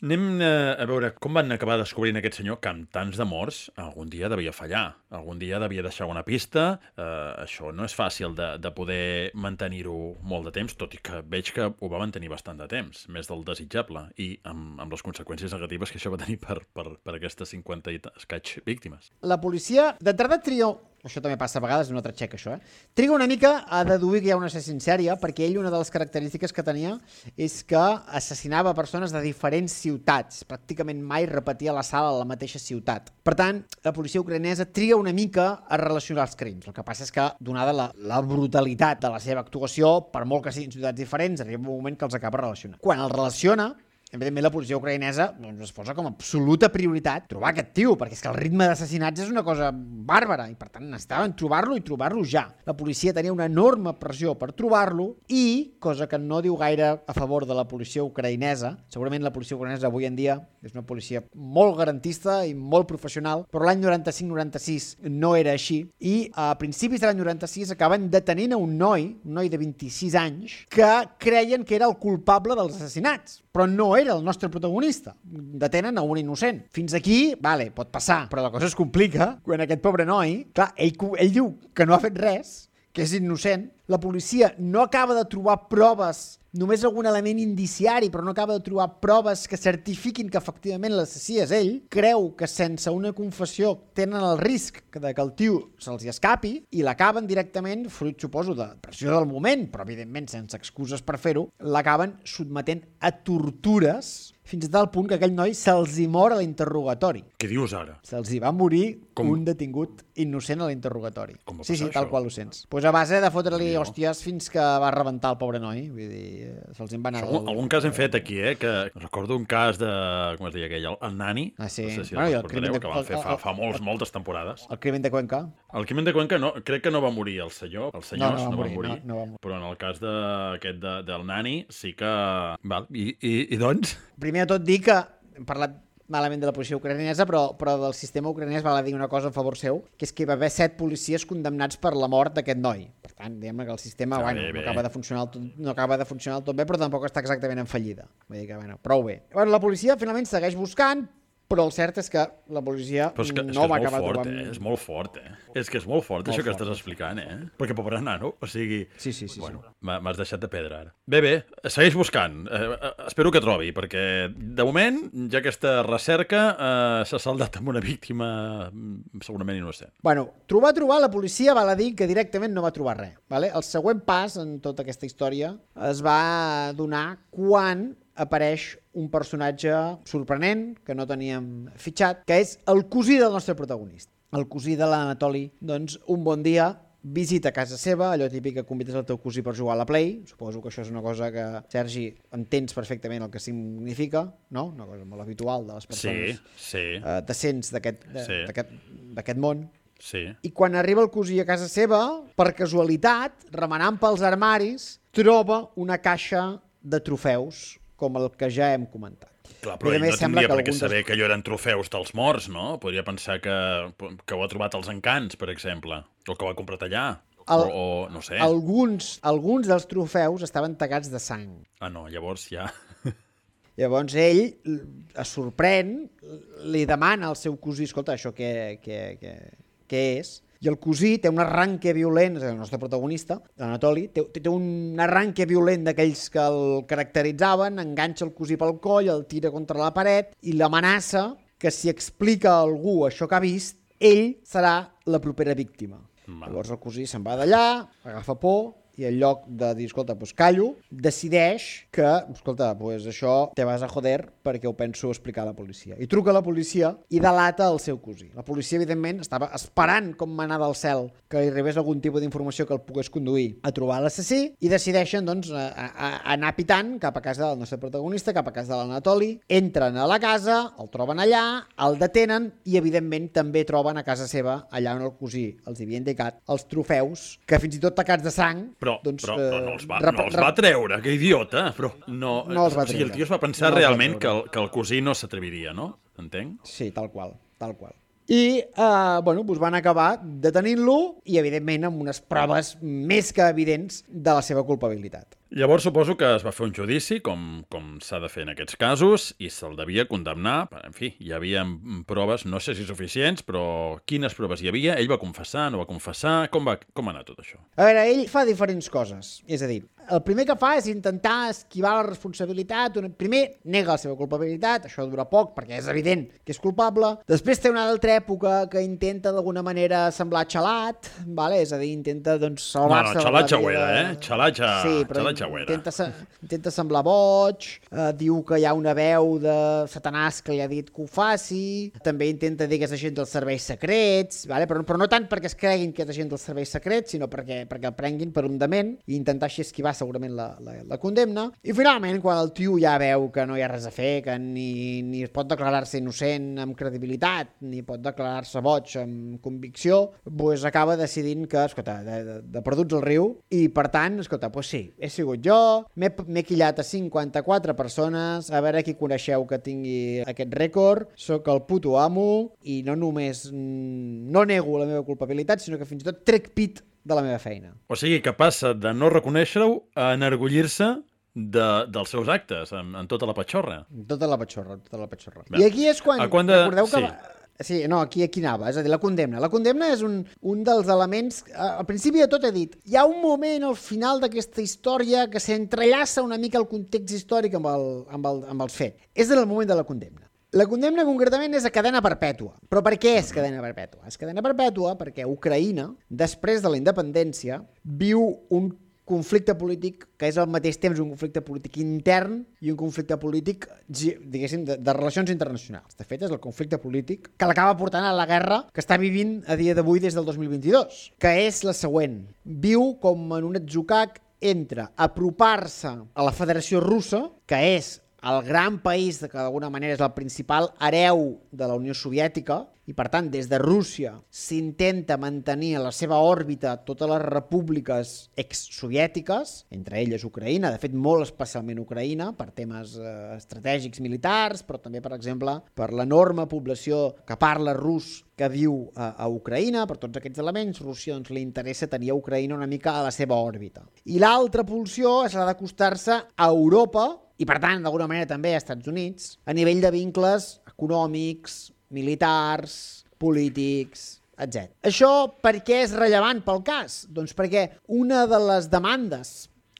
Anem eh, a veure com van acabar descobrint aquest senyor que amb tants de morts algun dia devia fallar, algun dia devia deixar una pista. Eh, això no és fàcil de, de poder mantenir-ho molt de temps, tot i que veig que ho va mantenir bastant de temps, més del desitjable, i amb, amb les conseqüències negatives que això va tenir per, per, per aquestes cinquanta i escaig víctimes. La policia, d'entrada tria, això també passa a vegades, és un altre xec això, eh? Triga una mica a deduir que hi ha un assassí en sèrie, perquè ell una de les característiques que tenia és que assassinava persones de diferents ciutats, pràcticament mai repetia la sala a la mateixa ciutat. Per tant, la policia ucraïnesa triga una mica a relacionar els crims. El que passa és que, donada la, la brutalitat de la seva actuació, per molt que siguin ciutats diferents, arriba un moment que els acaba relacionant. Quan els relaciona, evidentment la policia ucraïnesa doncs, es posa com a absoluta prioritat trobar aquest tio, perquè és que el ritme d'assassinats és una cosa bàrbara i per tant necessitaven trobar-lo i trobar-lo ja. La policia tenia una enorme pressió per trobar-lo i, cosa que no diu gaire a favor de la policia ucraïnesa, segurament la policia ucraïnesa avui en dia és una policia molt garantista i molt professional, però l'any noranta-cinc noranta-sis no era així i a principis de l'any noranta-sis acaben detenint a un noi, un noi de vint-i-sis anys, que creien que era el culpable dels assassinats, però no era el nostre protagonista. Detenen a un innocent. Fins aquí, vale, pot passar, però la cosa es complica quan aquest pobre noi, clar, ell, ell diu que no ha fet res, que és innocent, la policia no acaba de trobar proves, només algun element indiciari, però no acaba de trobar proves que certifiquin que efectivament l'assassí és ell, creu que sense una confessió tenen el risc de que el tio se'ls escapi i l'acaben directament, fruit, suposo, de pressió del moment, però evidentment sense excuses per fer-ho, l'acaben sotmetent a tortures fins a tal punt que aquell noi se'ls hi mor a l'interrogatori. Què dius ara? Se'ls hi va morir Com? un detingut innocent a l'interrogatori. Com va Sí, sí, passar tal això? qual ho sents. Pues a base de fotre-li Déu. hòsties fins que va rebentar el pobre noi. Vull dir, se'ls en va anar... Algun, algun cas hem fet aquí, eh? Que recordo un cas de... Com es deia aquell? El, el Nani. Ah, sí. No sé si Bueno, i el el crimen recordareu, de- que van fer fa, el- fa molts, moltes temporades. El crimen de Cuenca. El crimen de Cuenca no, crec que no va morir el senyor, els senyors No, no va no, van morir, morir, no, no va morir. però en el cas de, aquest de, del Nani sí que... Val, i, i, i doncs? Primer de tot dir que hem parlat malament de la policia ucraïnesa, però, però del sistema ucraïnès val a dir una cosa a favor seu, que és que hi va haver set policies condemnats per la mort d'aquest noi. Per tant, diguem que el sistema Ah, bueno, bé, bé. no, acaba de funcionar el tot, no acaba de funcionar del tot bé, però tampoc està exactament en fallida. Vull dir que, bueno, prou bé. Bueno, la policia finalment segueix buscant, però el cert és que la policia Però és que, és, no que és va molt acabar fort, trobant... eh? És molt fort, eh? És que és molt fort, Molt això que fort, estàs sí. explicant, eh? Perquè pobre nano, o sigui... Sí, sí, sí. Bueno, sí. m'ha- m'has deixat de pedra ara. Bé, bé, segueix buscant. Eh, eh, espero que trobi, perquè de moment ja aquesta recerca eh, s'ha saldat amb una víctima mm, segurament innocent. Bueno, trobar, trobar, la policia val a dir que directament no va trobar res. Vale? El següent pas en tota aquesta història es va donar quan apareix un personatge sorprenent que no teníem fitxat, que és el cosí del nostre protagonista. El cosí de l'Anatoli, doncs, un bon dia visita casa seva, allò típic que convides el teu cosí per jugar a la Play. Suposo que això és una cosa que, Sergi, entens perfectament el que significa, no? Una cosa molt habitual de les Sí, persones sí, eh, decents d'aquest de- Sí. d'aquest d'aquest món. sí. I quan arriba el cosí a casa seva, per casualitat, remenant pels armaris, troba una caixa de trofeus, com el que ja hem comentat. Clar, però I a ell més no sembla tindria que per què algun dels- saber que allò eren trofeus dels morts, no? Podria pensar que, que ho ha trobat als encants, per exemple, o que ho ha comprat allà, El- o, o no sé. Alguns, alguns dels trofeus estaven tacats de sang. Ah, no, llavors ja... Llavors ell l- es sorprèn, li demana al seu cosí, escolta, això què, què, què, què és? I el cosí té un arranque violent, és el nostre protagonista, l'Anatoli, té, té un arranque violent d'aquells que el caracteritzaven, enganxa el cosí pel coll, el tira contra la paret i l'amenaça que si explica a algú això que ha vist, ell serà la propera víctima. Val. Llavors el cosí se'n va d'allà, agafa por i en lloc de dir, escolta, doncs callo, decideix que, escolta, doncs això te vas a joder perquè ho penso explicar a la policia. I truca a la policia i delata el seu cosí. La policia, evidentment, estava esperant com manar del cel que li arribés algun tipus d'informació que el pogués conduir a trobar l'assassí i decideixen, doncs, a, a, a anar pitant cap a casa del nostre protagonista, cap a casa de l'Anatoli, entren a la casa, el troben allà, el detenen i, evidentment, també troben a casa seva, allà on el cosí els havia indicat, els trofeus, que fins i tot tacats de sang, Però, doncs, però, però no els va, rep- no els va rep- treure, que idiota, però no... No els va o sigui, el treure. tio es va pensar No els va realment que treure. el, que el cosí no s'atreviria, no? Entenc? Sí, tal qual, tal qual. I, eh, bueno, doncs van acabar detenint-lo i, evidentment, amb unes proves més que evidents de la seva culpabilitat. Llavors suposo que es va fer un judici, com, com s'ha de fer en aquests casos, i se'l devia condemnar. En fi, hi havia proves, no sé si suficients, però quines proves hi havia? Ell va confessar, no va confessar? Com va, com va anar tot això? A veure, ell fa diferents coses. És a dir, el primer que fa és intentar esquivar la responsabilitat. Primer, nega la seva culpabilitat, això dura poc perquè és evident que és culpable. Després té una altra època que intenta d'alguna manera semblar xalat, vale? És a dir, intenta doncs, No, salvar-se... no, de la xalatxa vida ho era, de- eh? Xalatxa, Sí, però xalatxa ho era. intenta, se- intenta semblar boig, eh, diu que hi ha una veu de Satanàs que li ha dit que ho faci, també intenta dir que és agent dels serveis secrets, vale? però, però no tant perquè es creguin que és agent dels serveis secrets, sinó perquè, perquè el prenguin per un dement i intentar així esquivar segurament la, la, la condemna, i finalment, quan el tio ja veu que no hi ha res a fer, que ni, ni pot declarar-se innocent amb credibilitat, ni pot declarar-se boig amb convicció, pues acaba decidint que, escolta, de, de, de perduts al riu, i per tant, escolta, pues sí, he sigut jo, m'he quillat a cinquanta-quatre persones, a veure qui coneixeu que tingui aquest rècord, sóc el puto amo, i no només no nego la meva culpabilitat, sinó que fins i tot trec pit de la meva feina. O sigui, que passa de no reconèixer-ho a enorgullir-se de, dels seus actes, en, en tota la patxorra. Tota la patxorra, tota la patxorra. Bé. I aquí és quan... quan de... Recordeu que... Sí. Sí, no, aquí, aquí anava, és a dir, la condemna. La condemna és un, un dels elements... Al principi de tot he dit, hi ha un moment al final d'aquesta història que s'entrellaça una mica el context històric amb, el, amb, el, amb els fets. És en el moment de la condemna. La condemna concretament és a cadena perpètua. Però per què és cadena perpètua? És cadena perpètua perquè Ucraïna, després de la independència, viu un conflicte polític que és al mateix temps un conflicte polític intern i un conflicte polític, diguéssim, de, de relacions internacionals. De fet, és el conflicte polític que l'acaba portant a la guerra que està vivint a dia d'avui des del dos mil vint-i-dos, que és la següent. Viu com en un atzucac entre apropar-se a la Federació Russa, que és el gran país que d'alguna manera és el principal hereu de la Unió Soviètica, i per tant des de Rússia s'intenta mantenir a la seva òrbita totes les repúbliques exsoviètiques, entre elles Ucraïna, de fet molt especialment Ucraïna, per temes eh, estratègics militars, però també, per exemple, per l'enorme població que parla rus que viu a, a Ucraïna, per tots aquests elements, Rússia doncs, li interessa tenir a Ucraïna una mica a la seva òrbita. I l'altra pulsió és la d'acostar-se a Europa, i per tant, d'alguna manera també a Estats Units, a nivell de vincles econòmics, militars, polítics, etcètera. Això per què és rellevant pel cas? Doncs perquè una de les demandes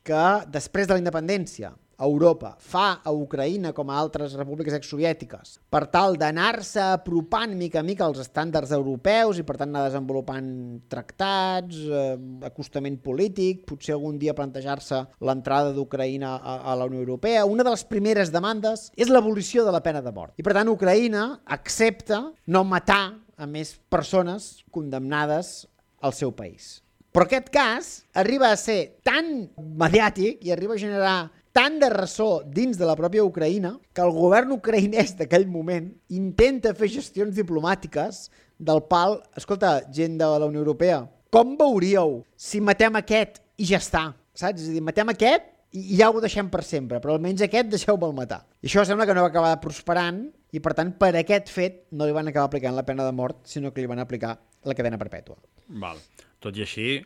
que després de la independència Europa fa a Ucraïna com a altres repúbliques exsoviètiques per tal d'anar-se apropant mica a mica als estàndards europeus i per tant anar desenvolupant tractats, eh, acostament polític, potser algun dia plantejar-se l'entrada d'Ucraïna a, a la Unió Europea. Una de les primeres demandes és l'abolició de la pena de mort. I per tant Ucraïna accepta no matar a més persones condemnades al seu país. Però aquest cas arriba a ser tan mediàtic i arriba a generar tant de ressò dins de la pròpia Ucraïna que el govern ucraïnès d'aquell moment intenta fer gestions diplomàtiques del pal, escolta, gent de la Unió Europea, com veuríeu si matem aquest i ja està, saps? És a dir, matem aquest i ja ho deixem per sempre, però almenys aquest deixeu-me'l matar. I això sembla que no va acabar prosperant i per tant per aquest fet no li van acabar aplicant la pena de mort, sinó que li van aplicar la cadena perpètua. Val. Tot i així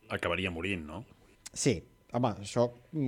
acabaria morint, no? Sí. Home, això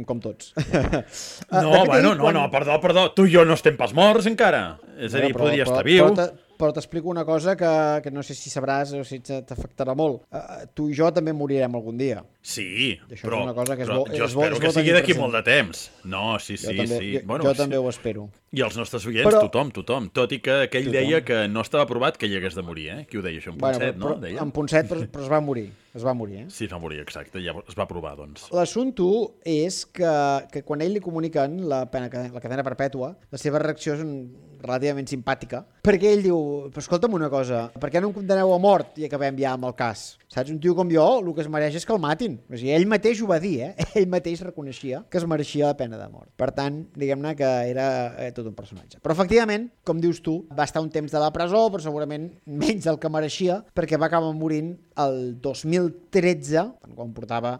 com tots. No, bueno, no, no, perdó, perdó. Tu i jo no estem pas morts encara. És a dir, podria estar viu. Però t'explico una cosa que, que no sé si sabràs o si t'afectarà molt. Uh, tu i jo també morirem algun dia. Sí, això però, és una cosa que és però bo, jo és bo, espero és bo que sigui d'aquí present. molt de temps. No, sí, sí, jo també, sí. Jo, bueno, jo sí. també ho espero. I els nostres oients, però, tothom, tothom. Tot i que aquell tothom. deia que no estava provat que hi hagués de morir, eh? Qui ho deia, això? En Ponset, bueno, però, no? Deia? En Ponset, però, però es va morir. Es va morir, eh? Sí, es va morir, exacte. Ja es va provar, doncs. L'assumpte és que, que quan ell li comuniquen la, pena, la cadena perpètua, la seva reacció és un, relativament simpàtica, perquè ell diu, però escolta'm una cosa, per què no em condeneu a mort i acabem ja amb el cas? Saps? Un tio com jo, el que es mereix és que el matin. O sigui, ell mateix ho va dir, eh? Ell mateix reconeixia que es mereixia la pena de mort. Per tant, diguem-ne que era eh, tot un personatge. Però efectivament, com dius tu, va estar un temps de la presó, però segurament menys del que mereixia, perquè va acabar morint el dos mil tretze, quan portava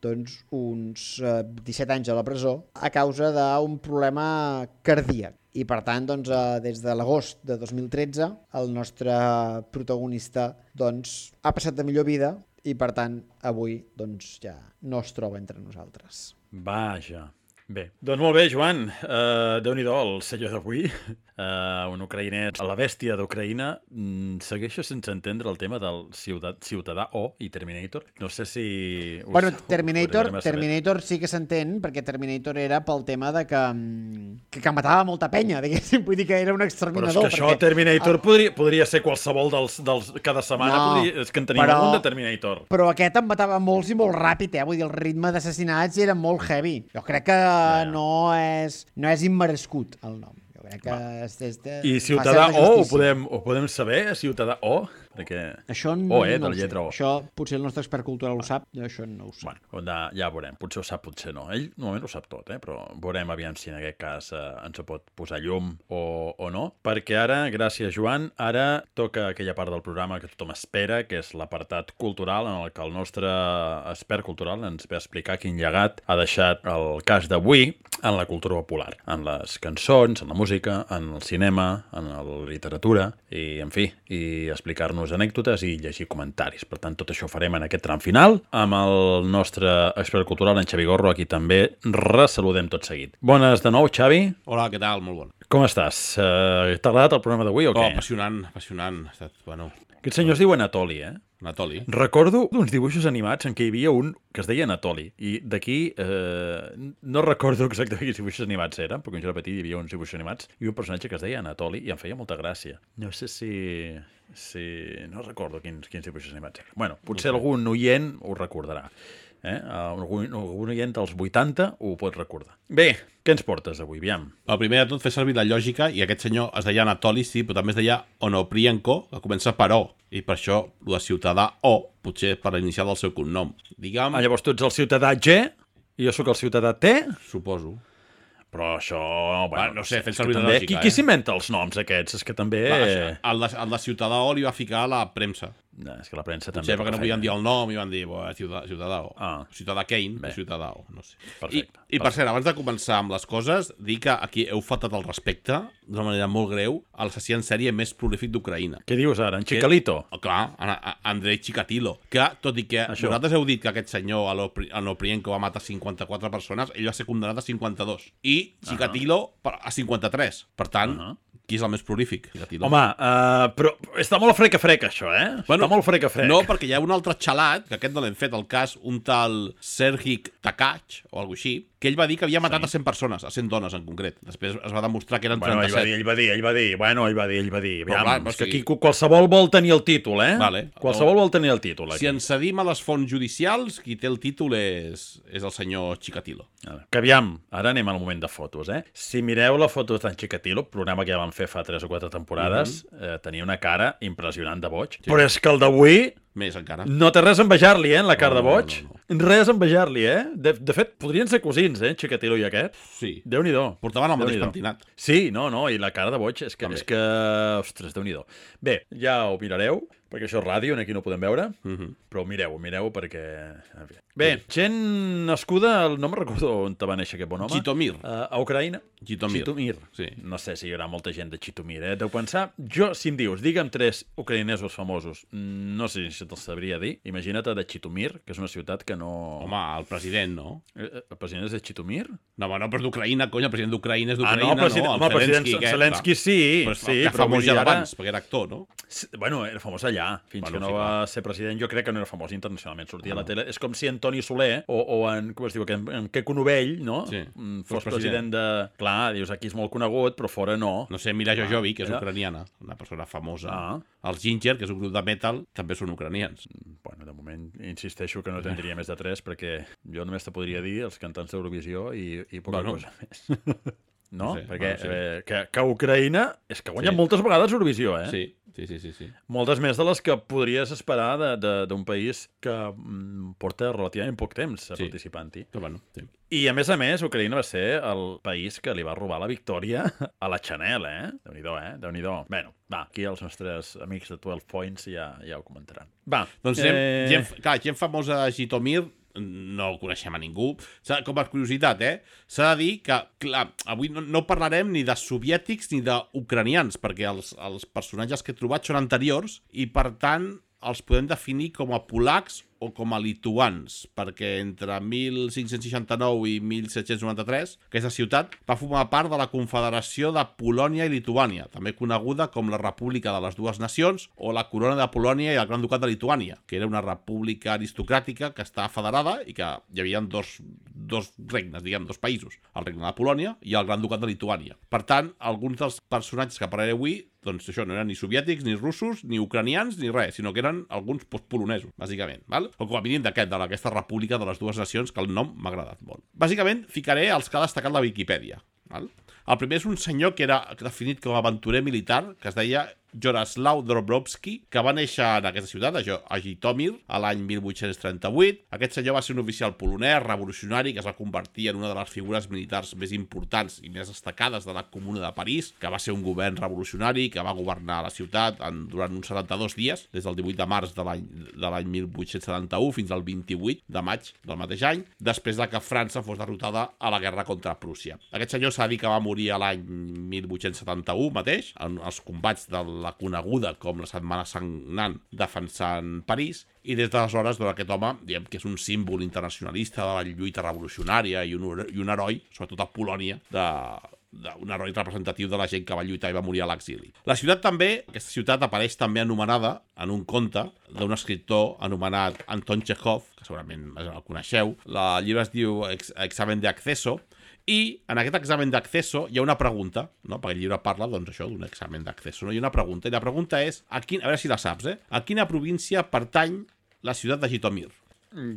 doncs, uns eh, disset anys a la presó, a causa d'un problema cardíac. I per tant, doncs, eh, des de l'agost de dos mil tretze, el nostre protagonista doncs, ha passat de millor vida i per tant, avui doncs, ja no es troba entre nosaltres. Vaja. Bé, doncs molt bé, Joan. Uh, Déu-n'hi-do, el senyor d'avui, uh, un ucraïnès, la bèstia d'Ucraïna. Mm, segueixo sense entendre el tema del ciutat, Ciutadà O i Terminator. No sé si... Us, bueno, Terminator, Terminator sí que s'entén, perquè Terminator era pel tema de que, que, que matava molta penya, diguéssim, vull dir que era un exterminador. Però és que això, perquè... Terminator, podria, podria ser qualsevol dels... dels cada setmana, no, podria, és que en tenim però, algun de Terminator. Però aquest en matava molts i molt ràpid, eh? Vull dir, el ritme d'assassinats era molt heavy. Jo crec que ja. no, és, no és immerescut el nom. Jo crec que és, és de, I Ciutadà O, ho podem, ho podem saber, Ciutadà O? Perquè... Això O, eh, de no la ho sé. lletra O. Això potser el nostre expert cultural ho sap, jo això no ho sé. Bueno, ja, ja veurem. Potser ho sap, potser no. Ell normalment ho sap tot, eh? Però veurem aviam si en aquest cas eh, ens ho pot posar llum o, o no. Perquè ara, gràcies Joan, ara toca aquella part del programa que tothom espera, que és l'apartat cultural en el que el nostre expert cultural ens ve a explicar quin llegat ha deixat el cas d'avui en la cultura popular, en les cançons, en la música, en el cinema, en la literatura, i, en fi, i explicar-nos anècdotes i llegir comentaris. Per tant, tot això ho farem en aquest tram final amb el nostre expert cultural, en Xavi Gorro, a qui també ressaludem tot seguit. Bones de nou, Xavi. Hola, què tal? Molt bon. Com estàs? Uh, T'ha agradat el programa d'avui o Oh, què? apassionant, apassionant. Ha estat, bueno, Aquest senyor es diu Anatoli, eh? Anatoli. Recordo uns dibuixos animats en què hi havia un que es deia Anatoli, i d'aquí eh, no recordo exactament quins dibuixos animats eren, perquè quan jo era petit hi havia uns dibuixos animats i un personatge que es deia Anatoli i em feia molta gràcia. No sé si... si... no recordo quins, quins dibuixos animats eren. Bueno, potser algun oient ho recordarà. Eh? Algun, algun oient dels vuitanta ho pot recordar. Bé, què ens portes avui, aviam? El primer de tot, fer servir la lògica, i aquest senyor es deia Anatoli, sí, però també es deia Onoprienko, que comença per O, i per això el de ciutadà O, potser per l'inicial del seu cognom. Digue'm, Ah, llavors tu ets el ciutadà G i jo sóc el ciutadà T? suposo. Però això... Bueno, Va, no sé, fent és que servir la també... lògica, Qui, eh? qui s'inventa els noms aquests? És que també... Va, això, el, de, el de ciutadà O li va ficar la premsa. No, és que la premsa també... Potser perquè no fa podien feina. dir el nom i van dir, bo, ciutadà, ciutadà O. Ah. Ciutadà Kane, Bé. ciutadà O, no sé. Perfecte, I, I per cert, abans de començar amb les coses, dir que aquí heu faltat el respecte, d'una manera molt greu, a l'assassí en sèrie més prolífic d'Ucraïna. Què dius ara? En Chicalito? Oh, clar, a- a- Andrei Chikatilo, que, tot i que Això. vosaltres heu dit que aquest senyor, Alopri- Anoprienko, va matar cinquanta-quatre persones, ell va ser condemnat a cinquanta-dos. I Chikatilo per- a cinquanta-tres. Per tant, Ahà. qui és el més prolífic? Chikatilo. Home, uh, però està molt freca-freca, això, eh? Bueno, està molt freca-frec. No, perquè hi ha un altre xalat, que aquest no l'hem fet el cas, un tal Serhii Takach, o alguna així, que ell va dir que havia matat sí. a cent persones, a cent dones en concret. Després es va demostrar que eren Bueno, ell va trenta-set. dir, ell va dir, ell va dir, bueno, ell va dir, ell va dir. Però Aviam, clar, és o que sigui- aquí qualsevol vol tenir el títol, eh? Vale. Qualsevol vol tenir el títol, aquí. Si ens cedim a les fonts judicials, qui té el títol és, és el senyor Chikatilo. Que aviam, ara anem al moment de fotos, eh? Si mireu la foto d'en Chikatilo, programa que ja vam fer fa tres o quatre temporades, mm -hmm. eh, tenia una cara impressionant de boig. Sí. Però és que el d'avui Més encara. no té res a envejar-li, eh, en la cara No, de boig. no, Res a envejar-li, eh? De, de fet, podrien ser cosins, eh, Chikatilo i aquest. Sí. Déu-n'hi-do. Portaven el mateix Déu-n'hi-do. pentinat. Sí, no, no, i la cara de boig és que, També. és que ostres, Déu-n'hi-do. Bé, ja ho mirareu, perquè això és ràdio, aquí no ho podem veure, Uh -huh. però mireu-ho, mireu perquè... en fi. Bé, gent nascuda, no me'n recordo on te va néixer aquest bon home. Jitomir. Uh, a Ucraïna. Jitomir. Jitomir. Sí. No sé si hi haurà molta gent de Jitomir, eh? Deu pensar... Jo, si em dius, digue'm tres ucraïnesos famosos, no sé si te'ls sabria dir. Imagina't de Jitomir, que és una ciutat que no... Home, el president, no? Eh, eh, El president és de Jitomir? No, home, no, però és d'Ucraïna, cony, el president d'Ucraïna és Ah, d'Ucraïna, no, el president, no? home, el president aquest, Zelensky sí, Però, sí, que però famós vull ja dir ara- d'abans, perquè era actor, no? Sí, bueno, era famós allà, fins Bueno, que no sí, va clar. ser president. Jo crec que no era famós internacionalment, sortia Ah, a la no. tele. És com si en Toni Soler o, o en, com es diu, en, en Queco Novell, no? Sí, Mm, fos fos president de... Clar, dius, aquí és molt conegut, però fora no. No sé, Mila Jojovic, que és era- ucraniana, una persona famosa. Ah. Els Ginger, que és un grup de metal, també són ucranians. Bueno, de moment insisteixo que no tindria més de tres, perquè jo només te podria dir els cantants d'Eurovisió i, i poca Bueno. cosa més. No? No sé, perquè bueno, sí. eh, que, que Ucraïna és que guanya Sí. moltes vegades Eurovisió, eh? Sí, sí, sí, sí. sí. Moltes més de les que podries esperar de- de- d'un país que mm, porta relativament poc temps Sí. participant-hi. Però bueno, sí. I, a més a més, Ucraïna va ser el país que li va robar la victòria a la Chanel, eh? Déu-n'hi-do, eh? Déu-n'hi-do. Bueno, va, aquí els nostres amics de dotze Points ja, ja ho comentaran. Va, Doncs eh... gent, clar, gent famosa de Jitomir, no el coneixem a ningú. S'ha- Com a curiositat, eh? S'ha de dir que, clar, avui no, no parlarem ni de soviètics ni d'ucranians, perquè els, els personatges que he trobat són anteriors i, per tant, els podem definir com a polacs o com a lituans, perquè entre mil cinc-cents seixanta-nou i mil set-cents noranta-tres aquesta ciutat va formar part de la Confederació de Polònia i Lituània, també coneguda com la República de les Dues Nacions o la Corona de Polònia i el Gran Ducat de Lituània, que era una república aristocràtica que estava federada i que hi havia dos, dos regnes, diguem, dos països, el regne de Polònia i el Gran Ducat de Lituània. Per tant, alguns dels personatges que parlaré avui, doncs això, no eren ni soviètics, ni russos, ni ucranians, ni res, sinó que eren alguns postpolonesos, bàsicament, val? O com a mínim d'aquest, d'aquesta república de les dues nacions, que el nom m'ha agradat molt. Bàsicament, ficaré els que ha destacat la Viquipèdia, val? El primer és un senyor que era definit com a aventurer militar, que es deia Joroslaw Dobrowski, que va néixer en aquesta ciutat, a Jitomir, a l'any mil vuit-cents trenta-vuit. Aquest senyor va ser un oficial polonès, revolucionari, que es va convertir en una de les figures militars més importants i més destacades de la Comuna de París, que va ser un govern revolucionari, que va governar la ciutat en, durant uns setanta-dos dies, des del divuit de març de l'any mil vuit-cents setanta-u fins al vint-i-vuit de maig del mateix any, després de que França fos derrotada a la guerra contra Prússia. Aquest senyor s'ha dit que va morir a l'any mil vuit-cents setanta-u mateix, en els combats de la coneguda com la Setmana Sagnant defensant París, i des d'aleshores doncs, aquest home, diguem que és un símbol internacionalista de la lluita revolucionària i un, i un heroi, sobretot a Polònia, de, de, un heroi representatiu de la gent que va lluitar i va morir a l'exili. La ciutat també, aquesta ciutat apareix també anomenada en un conte d'un escriptor anomenat Anton Chekhov, que segurament el coneixeu. El llibre es diu Examen de Acceso, i en aquest examen d'acceso hi ha una pregunta, no? Perquè el llibre parla, doncs, això, d'un examen d'acceso, no? Hi ha una pregunta, i la pregunta és, a, quin, a veure si la saps, eh? A quina província pertany la ciutat de Jitomir?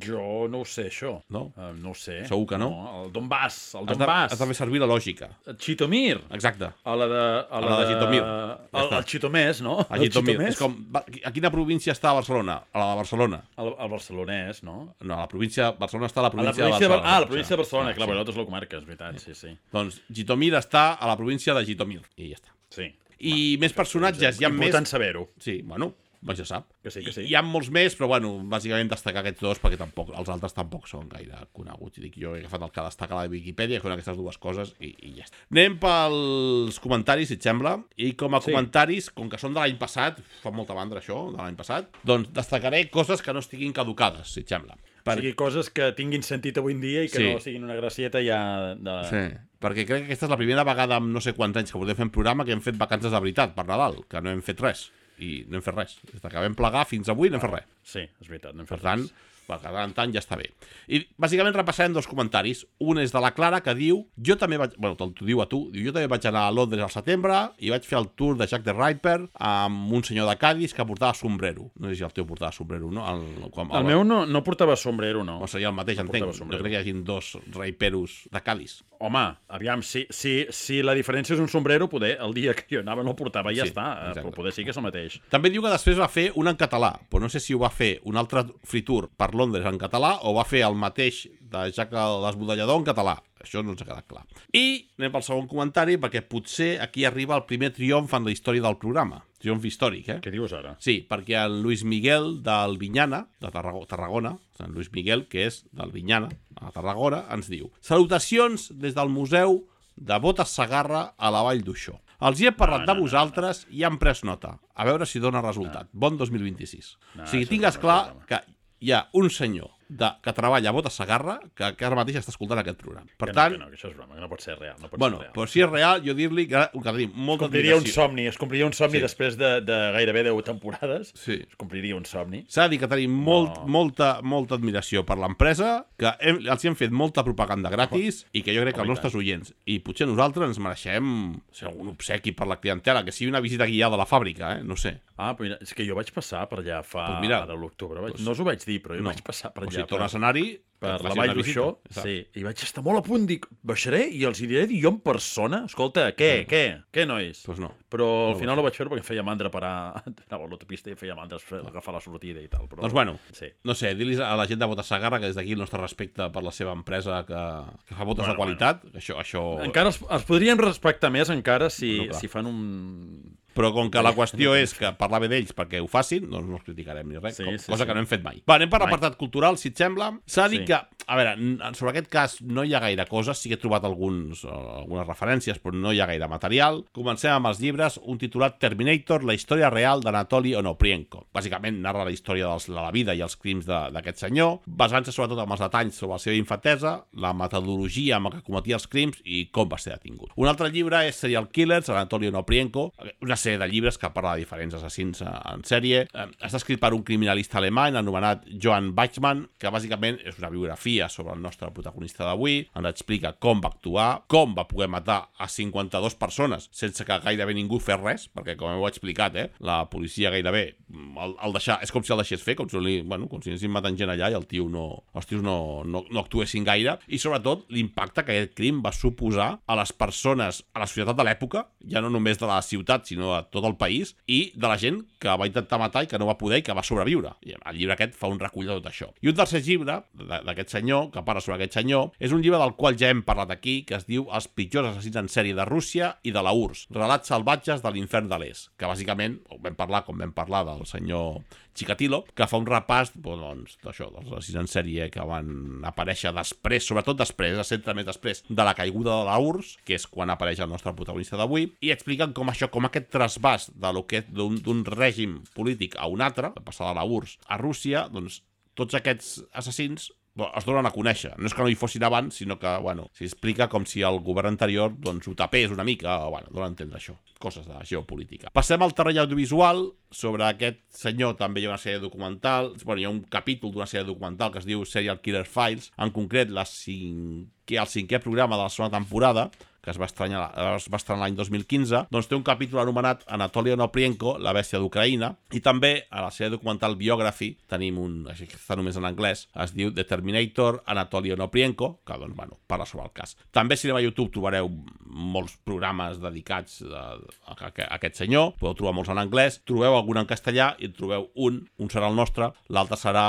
Jo no ho sé, això. No? Uh, no ho sé. Segur que no? No, el Donbass, el Has de, Donbass. has de fer servir la lògica. Chitomir. Exacte. A la de... A la, a la de Jitomir. El, el Chitomès, no? A Jitomir. El És com, a quina província està Barcelona? A la de Barcelona. El, el barcelonès, no? No, a la província... Barcelona està a la A la província, província de Barcelona. de... Ah, la província de Barcelona, Ah, clar, sí. però nosaltres la comarca, és veritat, sí, sí. Doncs Jitomir està a la província de Jitomir. I ja està. Sí. I Va, més personatges, hi ha més... Important saber-ho. Sí, bueno, doncs ja sap. Que sí, que sí. Hi ha molts més, però bueno, bàsicament destacar aquests dos perquè tampoc, els altres tampoc són gaire coneguts. I dic, jo he agafat el que destaca a la Viquipèdia, que són aquestes dues coses, i, i ja està. Anem pels comentaris, si et sembla. I com a Sí. comentaris, com que són de l'any passat, fa molta mandra això, de l'any passat, doncs destacaré coses que no estiguin caducades, si et sembla. Per... O sigui, coses que tinguin sentit avui en dia i que Sí. no siguin una gracieta ja de... Sí, perquè crec que aquesta és la primera vegada en no sé quants anys que podem fer un programa que hem fet vacances de veritat per Nadal, que no hem fet res. I no hem fet res. Des que vam plegar fins avui no hem fet res. Sí, és veritat, no hem Per fet tant, res. per cada tant ja està bé. I bàsicament repassarem dos comentaris. Un és de la Clara, que diu, jo també vaig, bueno, t'ho diu a tu, diu, jo també vaig anar a Londres al setembre i vaig fer el tour de Jack the Ripper amb un senyor de Cádiz que portava sombrero. No sé si el teu portava sombrero, no? El, com, El, el meu no, no portava sombrero, no. No seria el mateix, no entenc. portava sombrero. Jo crec que hi hagin dos riperos de Cádiz. Home, aviam, si, si, si la diferència és un sombrero, poder, el dia que jo anava no el portava i ja Sí, està, exacte. però poder sí que és el mateix. També diu que després va fer un en català, però no sé si ho va fer un altre free tour per Londres en català o va fer el mateix de Jack l'Esbudellador en català. Això no ens ha quedat clar. I anem pel segon comentari, perquè potser aquí arriba el primer triomf en la història del programa. Triomf històric, eh? Què dius ara? Sí, perquè el Luis Miguel del Vinyana, de Tarragona, Tarragona el Luis Miguel, que és del Vinyana, a Tarragona, ens diu: salutacions des del Museu de Botes Sagarra a la Vall d'Uixó. Els hi he parlat No, no, de vosaltres no, no. i han pres nota. A veure si dona resultat. No. Bon dos mil vint-i-sis. No, o sigui, això tingues no, clar no, no. que hi ha un senyor de, que treballa a Botes Sagarra que, que ara mateix està escoltant aquest programa. Per que tant, no, que no, que això és broma, que no pot ser real. No pot bueno, ser real. però si és real, jo dir-li que, que tenim molta Es compliria un admiració. somni, es compliria un somni Sí. després de, de gairebé deu temporades. Sí. Es compliria un somni. S'ha de dir que tenim molt, No. molta, molta admiració per l'empresa, que hem, els hem fet molta propaganda gratis i que jo crec que els Home, i nostres oients i potser nosaltres ens mereixem ser algun obsequi per la clientela, que sigui una visita guiada a la fàbrica, eh? No sé. Ah, però mira, és que jo vaig passar per allà fa... Pues mira, ara a l'octubre. Vaig... pues- No us ho vaig dir, però jo No. vaig passar per O allà. sigui, per- torna a escenari, per que la faci Vall una visita, d'Uixó, saps? sí, i vaig estar molt a punt, dic, baixaré i els hi diré jo en persona, escolta, què, què, què, nois? Pues no. Però al No final no vaig fer perquè em feia mandra parar, anava a l'autopista i em feia mandra agafar la sortida i tal. Però... Doncs bueno, Sí. no sé, dir-los a la gent de Botes Sagarra que des d'aquí el nostre respecte per la seva empresa que, que fa botes Bueno, de qualitat, bueno. això... això... Encara els, els podríem respectar més encara si, Bueno, clar. si fan un... Però com que la qüestió és que parlar bé d'ells perquè ho facin, doncs no els criticarem ni res, Sí, com, sí, cosa sí. que no hem fet mai. Va, anem per Mai. l'apartat cultural, si et sembla. S'ha de dir Sí. que, a veure, n- sobre aquest cas no hi ha gaire coses, sí que he trobat alguns, uh, algunes referències, però no hi ha gaire material. Comencem amb els llibres, un titulat Terminator, la història real d'Anatoly Onoprienko. Bàsicament narra la història dels, de la vida i els crims de- d'aquest senyor, basant-se sobretot en els detalls sobre la seva infantesa, la metodologia amb la que cometia els crims i com va ser detingut. Un altre llibre és Serial Killers, Anatoly Onoprienko, una sèrie de llibres que parla de diferents assassins en sèrie. Eh, està escrit per un criminalista alemany anomenat Johann Bachmann, que bàsicament és una biografia sobre el nostre protagonista d'avui. Ens explica com va actuar, com va poder matar a cinquanta-dues persones sense que gairebé ningú fes res, perquè com heu explicat, eh, la policia gairebé el, el deixar, és com si el deixés fer, com si, li, bueno, com si anessin matant gent allà i el tio no, els tios no, no, no actuessin gaire, i sobretot l'impacte que aquest crim va suposar a les persones, a la societat de l'època, ja no només de la ciutat, sinó sinó a tot el país, i de la gent que va intentar matar i que no va poder i que va sobreviure. I el llibre aquest fa un recull de tot això. I un tercer llibre d'aquest senyor, que parla sobre aquest senyor, és un llibre del qual ja hem parlat aquí, que es diu Els pitjors assassins en sèrie de Rússia i de la U R S S, relats salvatges de l'infern de l'est, que bàsicament, vam parlar, com vam parlar del senyor Chikatilo, que fa un repàs doncs, d'això, dels assassins en sèrie que van aparèixer després, sobretot després, a centre més després de la caiguda de la U R S S, que és quan apareix el nostre protagonista d'avui, i expliquen com això, com aquest trasbàs d'un règim polític a un altre, de passar de la U R S S a Rússia, doncs tots aquests assassins es donen a conèixer. No és que no hi fossin abans, sinó que, bueno, s'explica com si el govern anterior, doncs, ho tapés una mica, o, bueno, donen a entendre això, coses de geopolítica. Passem al terreny audiovisual. Sobre aquest senyor també hi ha una sèrie documental, bueno, hi ha un capítol d'una sèrie documental que es diu Serial Killer Files, en concret la cinquè, el cinquè programa de la segona temporada, que es va estrenar, es va estrenar l'any dos mil quinze, doncs té un capítol anomenat Anatoly Onoprienko, la bèstia d'Ucraïna, i també a la sèrie documental Biography tenim un, així que està només en anglès, es diu The Terminator, Anatoly Onoprienko, que doncs, bueno, parla sobre el cas. També si anem a YouTube trobareu molts programes dedicats a, a, a, a aquest senyor, podeu trobar molts en anglès, trobeu algun en castellà i en trobeu un, un serà el nostre, l'altre serà,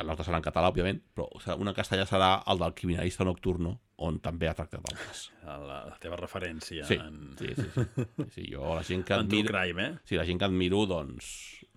l'altre serà en català, òbviament, però un en castellà serà el del Criminalista Nocturno, on també ha tractat d'altres. La teva referència. Sí, en... sí, sí, sí, sí, sí. Jo la gent que en admiro... true crime, eh? Sí, la gent que admiro, doncs,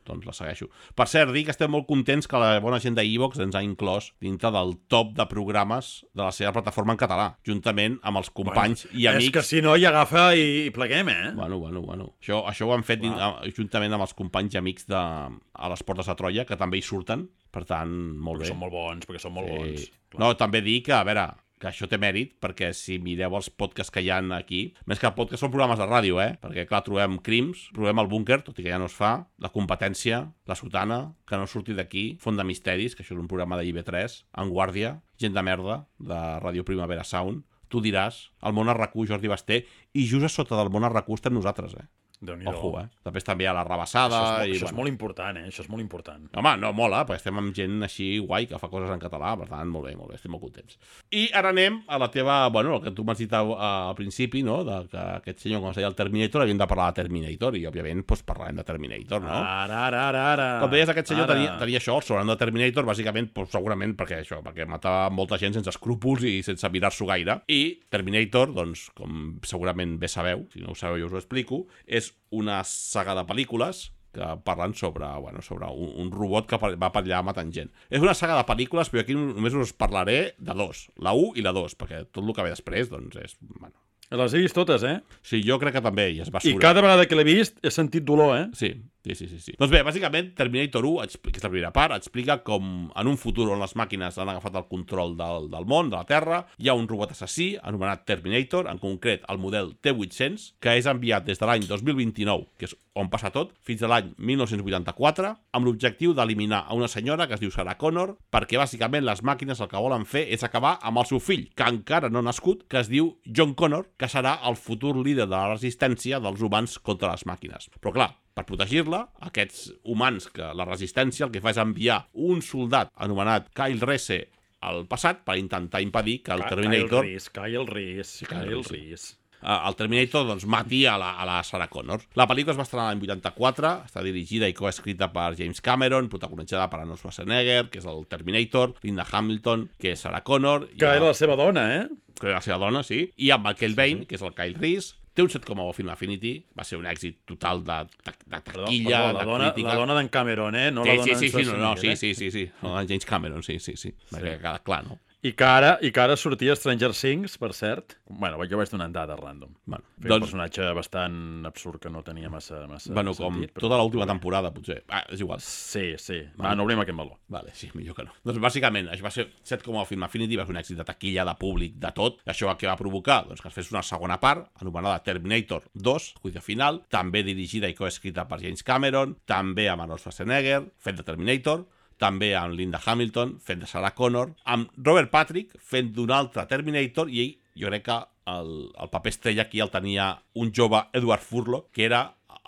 doncs la segueixo. Per cert, dir que estem molt contents que la bona gent d'Evox ens ha inclòs dintre del top de programes de la seva plataforma en català, juntament amb els companys bueno, i amics... És que si no hi agafa i, i pleguem, eh? Bueno, bueno, bueno. Això, això ho han fet din... juntament amb els companys i amics de... a les Portes de Troia, que també hi surten, per tant, molt perquè bé. Són molt bons, perquè són molt sí. bons. Clar. No, també dir que, a veure, que això té mèrit, perquè si mireu els podcasts que hi ha aquí, més que podcasts són programes de ràdio, eh? Perquè, clar, trobem Crims, trobem el Búnquer, tot i que ja no es fa, La Competència, La Sotana, Que no surti d'aquí, Font de Misteris, que això és un programa de I B tres, En Guàrdia, Gent de Merda, de Ràdio Primavera Sound, Tu diràs, El Món a RAC u, Jordi Basté, i just a sota del Món a RAC u estem nosaltres, eh? Ojo, eh? Després també hi ha La Rabassada... Això és, molt, i, això bueno. és molt important, eh? Això és molt important. Home, no, mola, perquè estem amb gent així guai que fa coses en català, per tant, molt bé, molt bé, estem molt contents. I ara anem a la teva... Bueno, el que tu m'has dit al, al principi, no?, de que aquest senyor, com es deia el Terminator, havíem de parlar de Terminator, i òbviament, doncs, parlarem de Terminator, no? Ara, ara, ara, ara. Com deies, aquest senyor ara. tenia, tenia això, el sobrenom de Terminator, bàsicament, doncs, segurament perquè això, perquè matava molta gent sense escrúpols i sense mirar-s'ho gaire. I Terminator, doncs, com segurament bé sabeu, si no ho sabeu jo us ho explico, és una saga de pel·lícules que parlen sobre, bueno, sobre un, un robot que va per allà matant gent. És una saga de pel·lícules, però aquí només us parlaré de dos, la u i la dos, perquè tot el que ve després, doncs, és... Bueno. Les he vist totes, eh? Sí, jo crec que també, i es va I cada vegada que l'he vist he sentit dolor, eh? Sí, sí, sí, sí, sí. Doncs bé, bàsicament, Terminator u, que és la primera part, explica com en un futur on les màquines han agafat el control del, del món, de la Terra, hi ha un robot assassí anomenat Terminator, en concret el model T vuit-cents, que és enviat des de l'any dos mil vint-i-nou, que és on passa tot, fins a l'any mil nou-cents vuitanta-quatre, amb l'objectiu d'eliminar a una senyora que es diu Sarah Connor, perquè bàsicament les màquines el que volen fer és acabar amb el seu fill, que encara no ha nascut, que es diu John Connor, que serà el futur líder de la resistència dels humans contra les màquines. Però clar, per protegir-la, aquests humans, que la resistència el que fa és enviar un soldat anomenat Kyle Reese al passat per intentar impedir que el Terminator... Kyle Reese, Kyle Reese, Kyle Reese... el Terminator doncs, mati a la, a la Sarah Connor. La pel·lícula es va estrenar l'any vuitanta-quatre, està dirigida i coescrita per James Cameron, protagonitzada per Arnold Schwarzenegger, que és el Terminator, Linda Hamilton, que és Sarah Connor... Que era la seva dona, eh? Que era la seva dona, sí. I amb Michael Bain, que és el Kyle Reese. Té un set coma u Film Affinity, va ser un èxit total de, de, de taquilla, perdó, la de dona, crítica. La dona d'en Cameron, eh? No sí, la dona sí, sí, sí, no, no, sí, eh? sí, sí, sí, no, James Cameron, sí, sí, sí, sí. Va quedar clar, no? I que ara, i que ara sortia Stranger Things, per cert. Bueno, jo vaig donar dades random. Bueno, Feia doncs... un personatge bastant absurd que no tenia massa, massa bueno, com sentit. Tota l'última temporada, potser. Ah, és igual. Sí, sí. Va, Vale. no obrim aquest meló. Vale, sí, millor que no. Doncs bàsicament, això va ser set coma u Film Affinity, va ser un èxit de taquilla, de públic, de tot. Això què va provocar? Doncs que es fes una segona part, anomenada Terminator dos, juicio final, també dirigida i coescrita per James Cameron, també amb Arnold Schwarzenegger, fet de Terminator, també amb Linda Hamilton, fent de Sarah Connor, amb Robert Patrick, fent d'un altre Terminator, i ell, jo crec que el, el paper estrella aquí el tenia un jove Edward Furlong, que era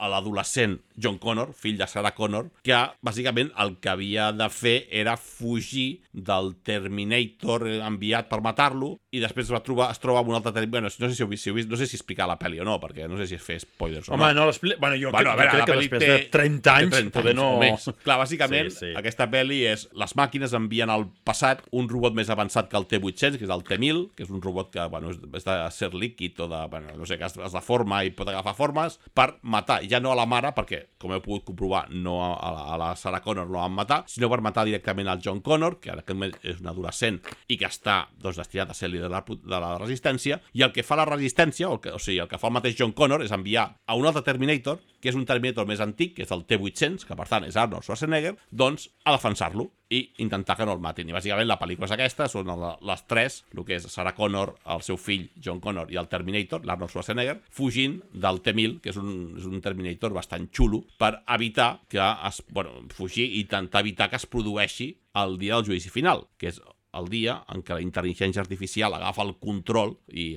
l'adolescent John Connor, fill de Sarah Connor, que bàsicament el que havia de fer era fugir del Terminator enviat per matar-lo i després va trobar, es troba amb un altre Terminator. Bueno, no sé si heu vist, si heu vist, no sé si explicar la pel·li o no, perquè no sé si es fer spoilers o Home, no. no l'explica... Bueno, jo Bueno, crec, a veure, jo crec la que pel·li després té- de trenta anys, trenta poder anys no... o més. Clar, bàsicament, Sí, sí. aquesta pel·li és... Les màquines envien al passat un robot més avançat que el T vuit-cents, que és el T mil, que és un robot que, bueno, és, és de ser líquid o de... Bueno, no sé, que es, es deforma i pot agafar formes per matar, ja no a la mare, perquè, com heu pogut comprovar, no a, a, la, a la Sarah Connor no la van matar, sinó per matar directament al John Connor, que en aquest moment és un adolescent i que està, doncs, destinat a ser líder de la, de la resistència, i el que fa la resistència, o, el que, o sigui, el que fa el mateix John Connor és enviar a un altre Terminator, que és un Terminator més antic, que és el T vuit-cents, que per tant és Arnold Schwarzenegger, doncs a defensar-lo i intentar que no el matin. I bàsicament la pel·lícula és aquesta, són les tres, el que és Sarah Connor, el seu fill John Connor i el Terminator, l'Arnold Schwarzenegger, fugint del T mil, que és un, és un Terminator bastant xulo, per evitar que es... Bueno, fugir i intentar evitar que es produeixi el dia del judici final, que és el dia en què la intel·ligència artificial agafa el control i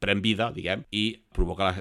pren vida, diguem, i provoca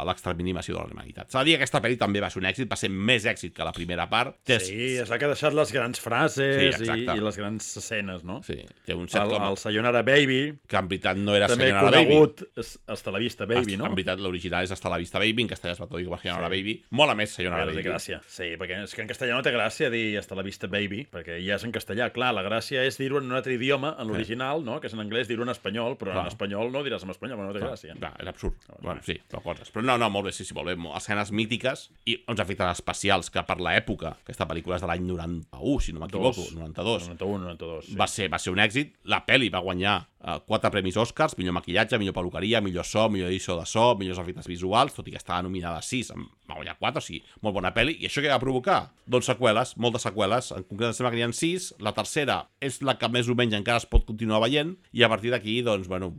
l'exterminació de la humanitat. S'ha de dir que aquesta pel·li també va ser un èxit, va ser més èxit que la primera part. Sí, és la que ha deixat les grans frases sí, i, i les grans escenes, no? Sí, té un set el, com... el Sayonara Baby, que en veritat no era també Sayonara Baby. conegut Hasta la Vista Baby, no? En veritat, l'original és Hasta la Vista Baby, en castellà es va traduir com a Sayonara sí. Baby. Mola més Sayonara Baby. Baby. Gràcia. Sí, perquè és que en castellà no té gràcia dir Hasta la Vista Baby, perquè ja és en castellà. Clar, la gràcia és dir-ho en un altre idioma, en l'original, no? Que és en anglès dir-ho en espanyol, però clar. En espanyol no diràs en espanyol, però no té clar. gràcia. Clar, és absurd. No, bueno, sí, però coses. Però no, no, molt bé, sí, sí, molt bé. Escenes mítiques i uns efectes especials que per l'època, aquesta pel·lícula és de l'any noranta-u, si no m'equivoco, noranta-dos. noranta-u, noranta-dos, sí. Va ser, va ser un èxit. La pel·li va guanyar uh, quatre premis Oscars, millor maquillatge, millor peluqueria, millor so, millor edició de so, millors efectes visuals, tot i que estava nominada a sis, va guanyar quatre, o sigui, molt bona pel·li. I això què va provocar? Doncs seqüeles, moltes seqüeles. En concret, em sembla que n'hi ha sis. La tercera és la que més o menys encara es pot continuar veient, i a partir d'aquí, doncs, bueno,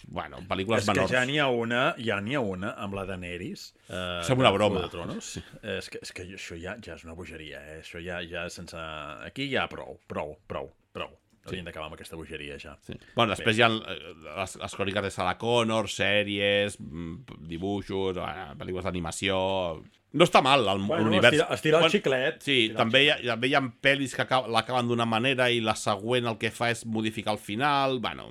bueno pel·lícules és menors. És que ja n'hi ha una, ja n'hi ha una amb la Daenerys. Eh, Sembla una broma. Sí. És, que, és que això ja, ja és una bogeria, eh? Això ja, ja sense... Aquí ja prou, prou, prou, prou. Haurien sí. d'acabar amb aquesta bogeria, ja. Sí. Bueno, després Bé. hi ha les, les cròniques de Sarah Connor, sèries, dibuixos, pel·lícules d'animació... No està mal, l'univers... Bueno, estirar el bueno, xiclet. Sí, també hi, ha, també hi ha pel·lis que l'acaben d'una manera i la següent el que fa és modificar el final. Bueno,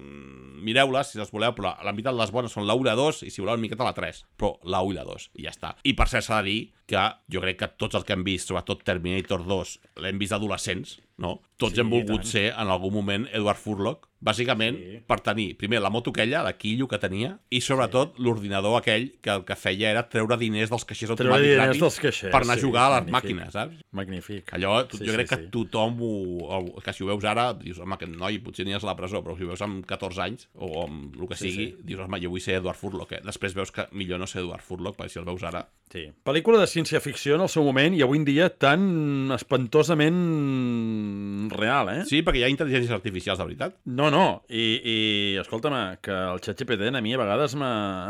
mireu-les, si les voleu, però la meitat de les bones són la u i la dos, i si voleu una miqueta la tres, però la u i la dos, i ja està. I per cert s'ha de dir que jo crec que tots els que hem vist, sobretot Terminator dos, l'hem vist adolescents, no? Tots sí, hem volgut ser, en algun moment, Edward Furlong, bàsicament sí. per tenir, primer, la moto aquella, la quillo que tenia, i sobretot sí. l'ordinador aquell que el que feia era treure diners dels caixers automàtics caixers, per anar sí, a jugar a les magnífic. màquines, saps? Magnífic. Allò, tu, sí, jo crec sí, que sí. tothom, ho, que si ho veus ara, dius, home, aquest noi potser aniràs a la presó, però si ho veus amb catorze anys, o amb el que sí, sigui, sí. dius, home, jo vull ser Edward Furlong, eh? Després veus que millor no ser Edward Furlong, perquè si el veus ara... Sí. Pel·lícula de ciència-ficció en el seu moment i avui en dia tan espantosament real, eh? Sí, perquè hi ha intel·ligències artificials, de veritat. No, no, i, i escolta'm, que el ChatGPT a mi a vegades m'ha...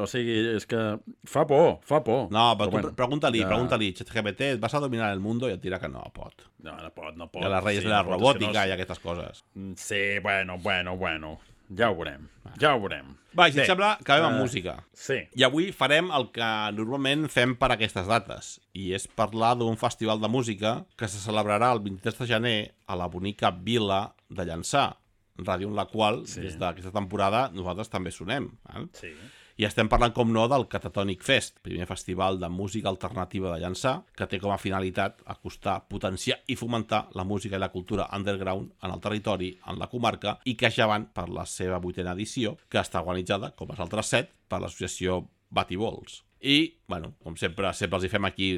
O sigui, és que fa por, fa por. No, però, però bueno, pregunta-li, ja... pregunta-li, ChatGPT, vas a dominar el mundo? I et dirà que no pot. No, no pot, no pot. I a les reyes sí, de la no robòtica pot, i aquestes coses. Sí, bueno, bueno, bueno. Ja ho veurem, ja ho veurem. Va, si et sembla, acabem amb uh, música. Sí. I avui farem el que normalment fem per aquestes dates, i és parlar d'un festival de música que se celebrarà el vint-i-tres de gener a la bonica vila de Llançà, ràdio en la qual, sí. des d'aquesta temporada, nosaltres també sonem. Eh? Sí. I estem parlant, com no, del Catatonic Fest, primer festival de música alternativa de Llançà, que té com a finalitat acostar, potenciar i fomentar la música i la cultura underground en el territori, en la comarca, i que ja van per la seva vuitena edició, que està organitzada, com els altres set, per l'associació Bativols. I, bueno, com sempre, sempre els hi fem aquí,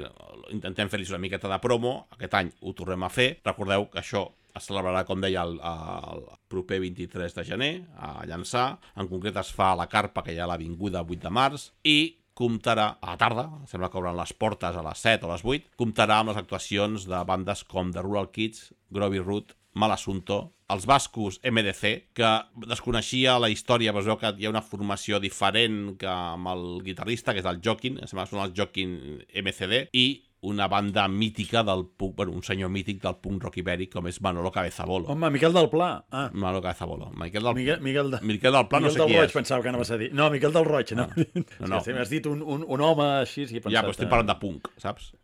intentem fer-los una miqueta de promo, aquest any ho tornem a fer. Recordeu que això es celebrarà, com deia, el, el proper vint-i-tres de gener a Llançà. En concret es fa a la carpa que hi ha a l'avinguda vuit de març i comptarà a la tarda, sembla que obren les portes a les set o a les vuit, comptarà amb les actuacions de bandes com The Rural Kids, Groovy Root, Mal Asunto, els bascos M D C, que desconeixia la història, però es veu que hi ha una formació diferent que amb el guitarrista, que és el Joaquin, em sembla que són els Joaquin M C D, i una banda mítica del punk, bueno, un senyor mític del punk rock ibèric, com és Manolo Cabezabolo. Home, Miquel del Pla. Ah. Manolo Cabezabolo. Miquel del, Miguel, Miguel, de... Miquel del Pla, Miquel no sé qui Roig, és. pensava que anaves a dir. No, Miquel del Roig, no. No, no. Sí, m'has dit un, un, un home així, sí, he pensat... Ja, però estic parlant de punk, saps?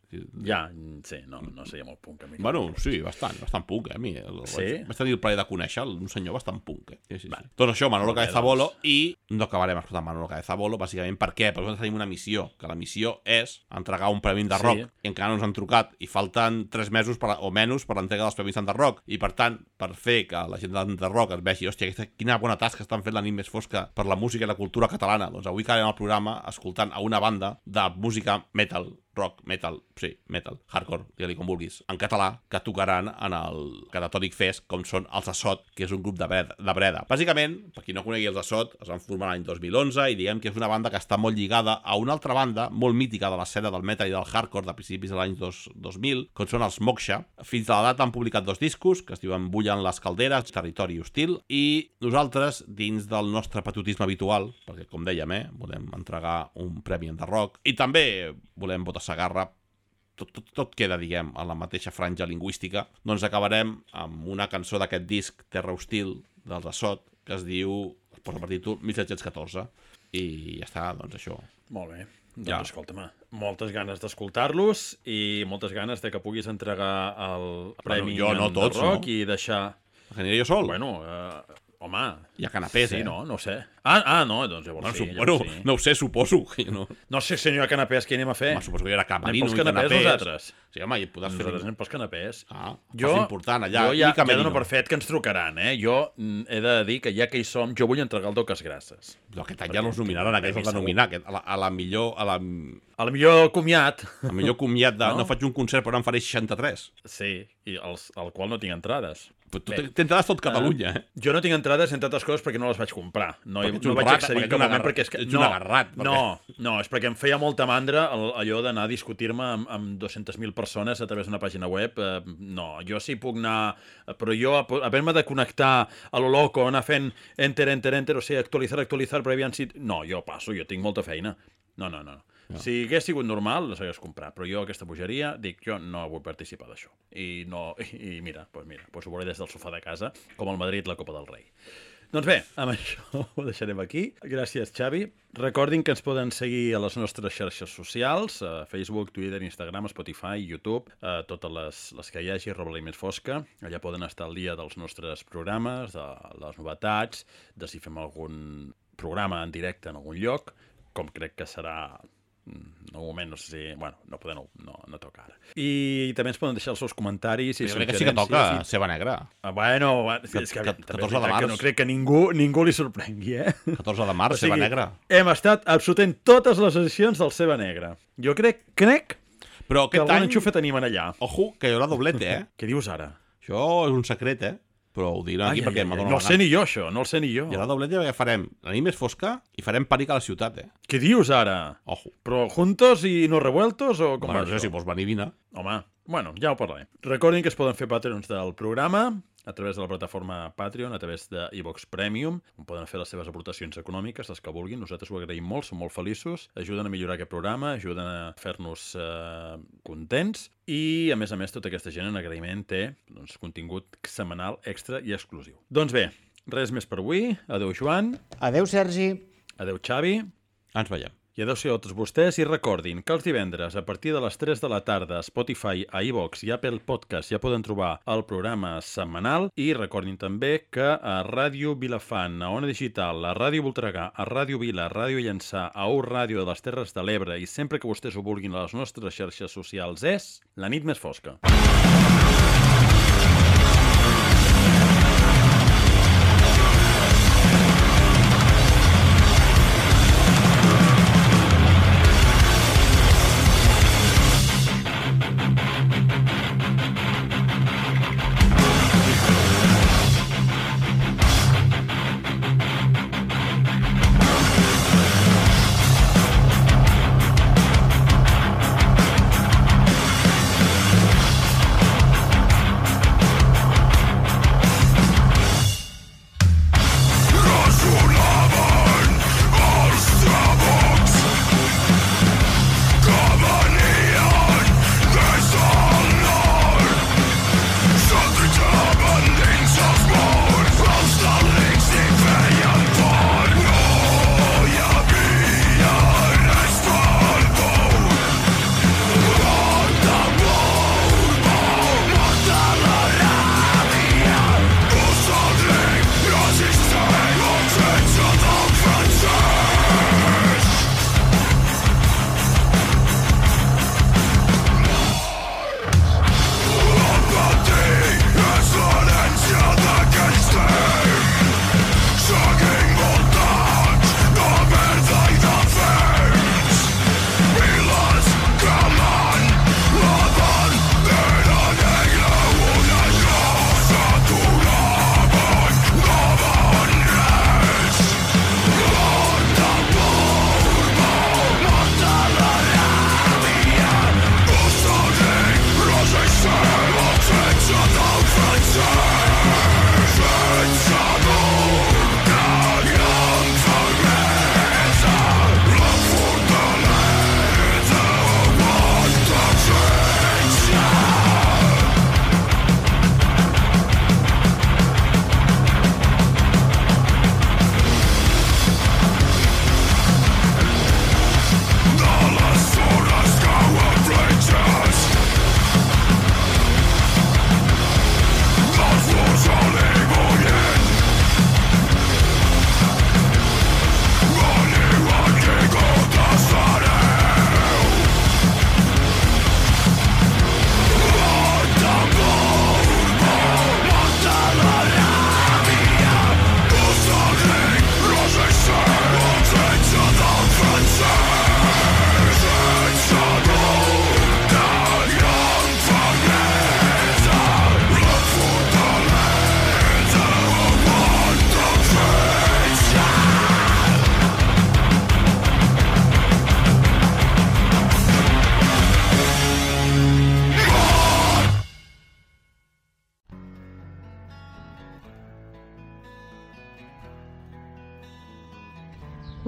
Ja, sí, no, no seria molt punk. A mi. Bueno, sí, bastant, bastant punk, eh, a mi. El, Sí? Vaig tenir el plaer de conèixer un senyor bastant punk, eh. Sí, sí, sí. Doncs això, Manolo Cabezabolo, i no acabarem escoltant Manolo Cabezabolo, bàsicament, per què? Perquè nosaltres tenim una missió, que la missió és entregar un premi de rock, Sí. i encara no ens han trucat, i falten tres mesos per, o menys per l'entrega dels premis de rock, i per tant, per fer que la gent de rock es vegi, hòstia, aquesta, quina bona tasca estan fent la nit més fosca per la música i la cultura catalana, doncs avui acabem el programa escoltant a una banda de música metal, rock, metal, sí, metal, hardcore, digue-li com vulguis, en català, que tocaran en el Catatònic Fest, com són els Assot, que és un grup de Breda. De Breda. Bàsicament, per qui no conegui els Assot, es van formar l'any dos mil onze i diguem que és una banda que està molt lligada a una altra banda molt mítica de l'escena del metal i del hardcore de principis de l'any dos mil, com són els Moksha. Fins a la data han publicat dos discos, que es diuen Bullen les calderes, Territori hostil, i nosaltres, dins del nostre patriotisme habitual, perquè com dèiem, eh, volem entregar un premi en de rock, i també volem votar Sagarra, tot, tot, tot queda, diguem, a la mateixa franja lingüística, doncs acabarem amb una cançó d'aquest disc Terra Hostil dels Assot, que es diu, es posa per títol mil set-cents catorze, i ja està, doncs això. Molt bé. Doncs Ja. escolta'm, moltes ganes d'escoltar-los i moltes ganes de que puguis entregar el premi jo no, en tots, de rock no? i deixar... Aniré jo sol? Bueno, eh, home... Hi ha canapés, sí, eh? no, no ho sé. Ah, ah no, doncs llavors Bueno, sí. su- Llavors bueno, sí. no ho sé, suposo. Que no... No sé si n'hi ha canapés, què anem a fer? Home, suposo que hi haurà camerino Anem i pels canapés canapés. nosaltres. Sí, home, i podràs fer... Nosaltres anem pels canapés. Ah, Jo, jo, important, allà. jo ja, I ja camerino. dono per fet que ens trucaran, eh? Jo mm, he de dir que ja que hi som, jo vull entregar el Doques Grasses. Però aquest any ja no els nominaran, aquest Premi els van segur. nominar, aquest, a, la, a la millor... A la, A la millor comiat. a millor comiat de... No? No? faig un concert, però en faré seixanta-tres. Sí, i els, al qual no tinc entrades. Però tu Bé. t'entraràs tot Catalunya, eh? Jo no tinc entrades, entre altres coses, perquè no les vaig comprar. No, Perquè ets no un vaig rata, accedir perquè en cap ets un moment, agarrat, perquè és que... ets un no, agarrat, perquè- no, no, és perquè em feia molta mandra el, allò d'anar a discutir-me amb, amb dues-centes mil persones a través d'una pàgina web. Eh, no, jo sí puc anar... Però jo, haver-me de connectar a lo loco, anar fent enter, enter, enter, o sigui, actualitzar, actualitzar, però aviam si... No, jo passo, jo tinc molta feina. No, no, no. No. Si hagués sigut normal, les hagués comprat, però jo aquesta bogeria, dic, jo no vull participar d'això. I no, i, i mira, doncs mira, doncs ho veuré des del sofà de casa, com el Madrid la Copa del Rei. Doncs bé, amb això ho deixarem aquí. Gràcies, Xavi. Recordin que ens poden seguir a les nostres xarxes socials, a Facebook, Twitter, Instagram, Spotify, YouTube, a totes les, les que hi hagi, arroba la més fosca. Allà poden estar al dia dels nostres programes, de les novetats, de si fem algun programa en directe en algun lloc, com crec que serà... en un moment, no sé si... Bueno, no podem, no, no, no toca ara. I també ens poden deixar els seus comentaris i Jo crec que sí que toca suggerències i- Ceba Negra. Ah, bueno, va, és que, Ca- també és catorze de veritat que març. no crec que ningú, ningú li sorprengui, eh? catorze de març, O sigui, Ceba Negra. Hem estat absolutent totes les edicions del Ceba Negra. Jo crec, crec Però que aquest algun any, enxufe tenim en allà. ojo, que hi haurà doblete, eh? Què dius ara? Això és un secret, eh? Però ho diré aquí Ai, perquè ai, m'ha ai, donat no la el sé gana. ni jo, això, no el sé ni jo. Hi haurà doblete perquè farem la nit més fosca i farem pànic a la ciutat, eh? Què dius ara? Ojo. Però juntos i no revueltos o com Bueno, va no sé això? si vols venir, vine. Home, bueno, ja ho parlarem. Recordin que es poden fer patrons del programa a través de la plataforma Patreon, a través de iVox Premium, on poden fer les seves aportacions econòmiques, les que vulguin. Nosaltres ho agraïm molt, som molt feliços. Ajuden a millorar aquest programa, ajuden a fer-nos eh, contents i, a més a més, tota aquesta gent en agraïment té doncs, contingut setmanal extra i exclusiu. Doncs bé, res més per avui. Adéu, Joan. Adeu, Sergi. Adéu, Xavi. Ens veiem. I adéu-siau a tots vostès i recordin que els divendres a partir de les tres de la tarda a Spotify, a iVox i Apple Podcast ja poden trobar el programa setmanal i recordin també que a Ràdio Vilafant, a Ona Digital, a Ràdio Voltregà, a Ràdio Vila, a Ràdio Llançà, a U Ràdio de les Terres de l'Ebre i sempre que vostès ho vulguin a les nostres xarxes socials és La nit més fosca.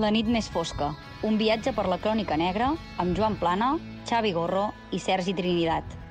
La nit més fosca, un viatge per la crònica negra amb Joan Plana, Xavi Gorro i Sergi Trinidat.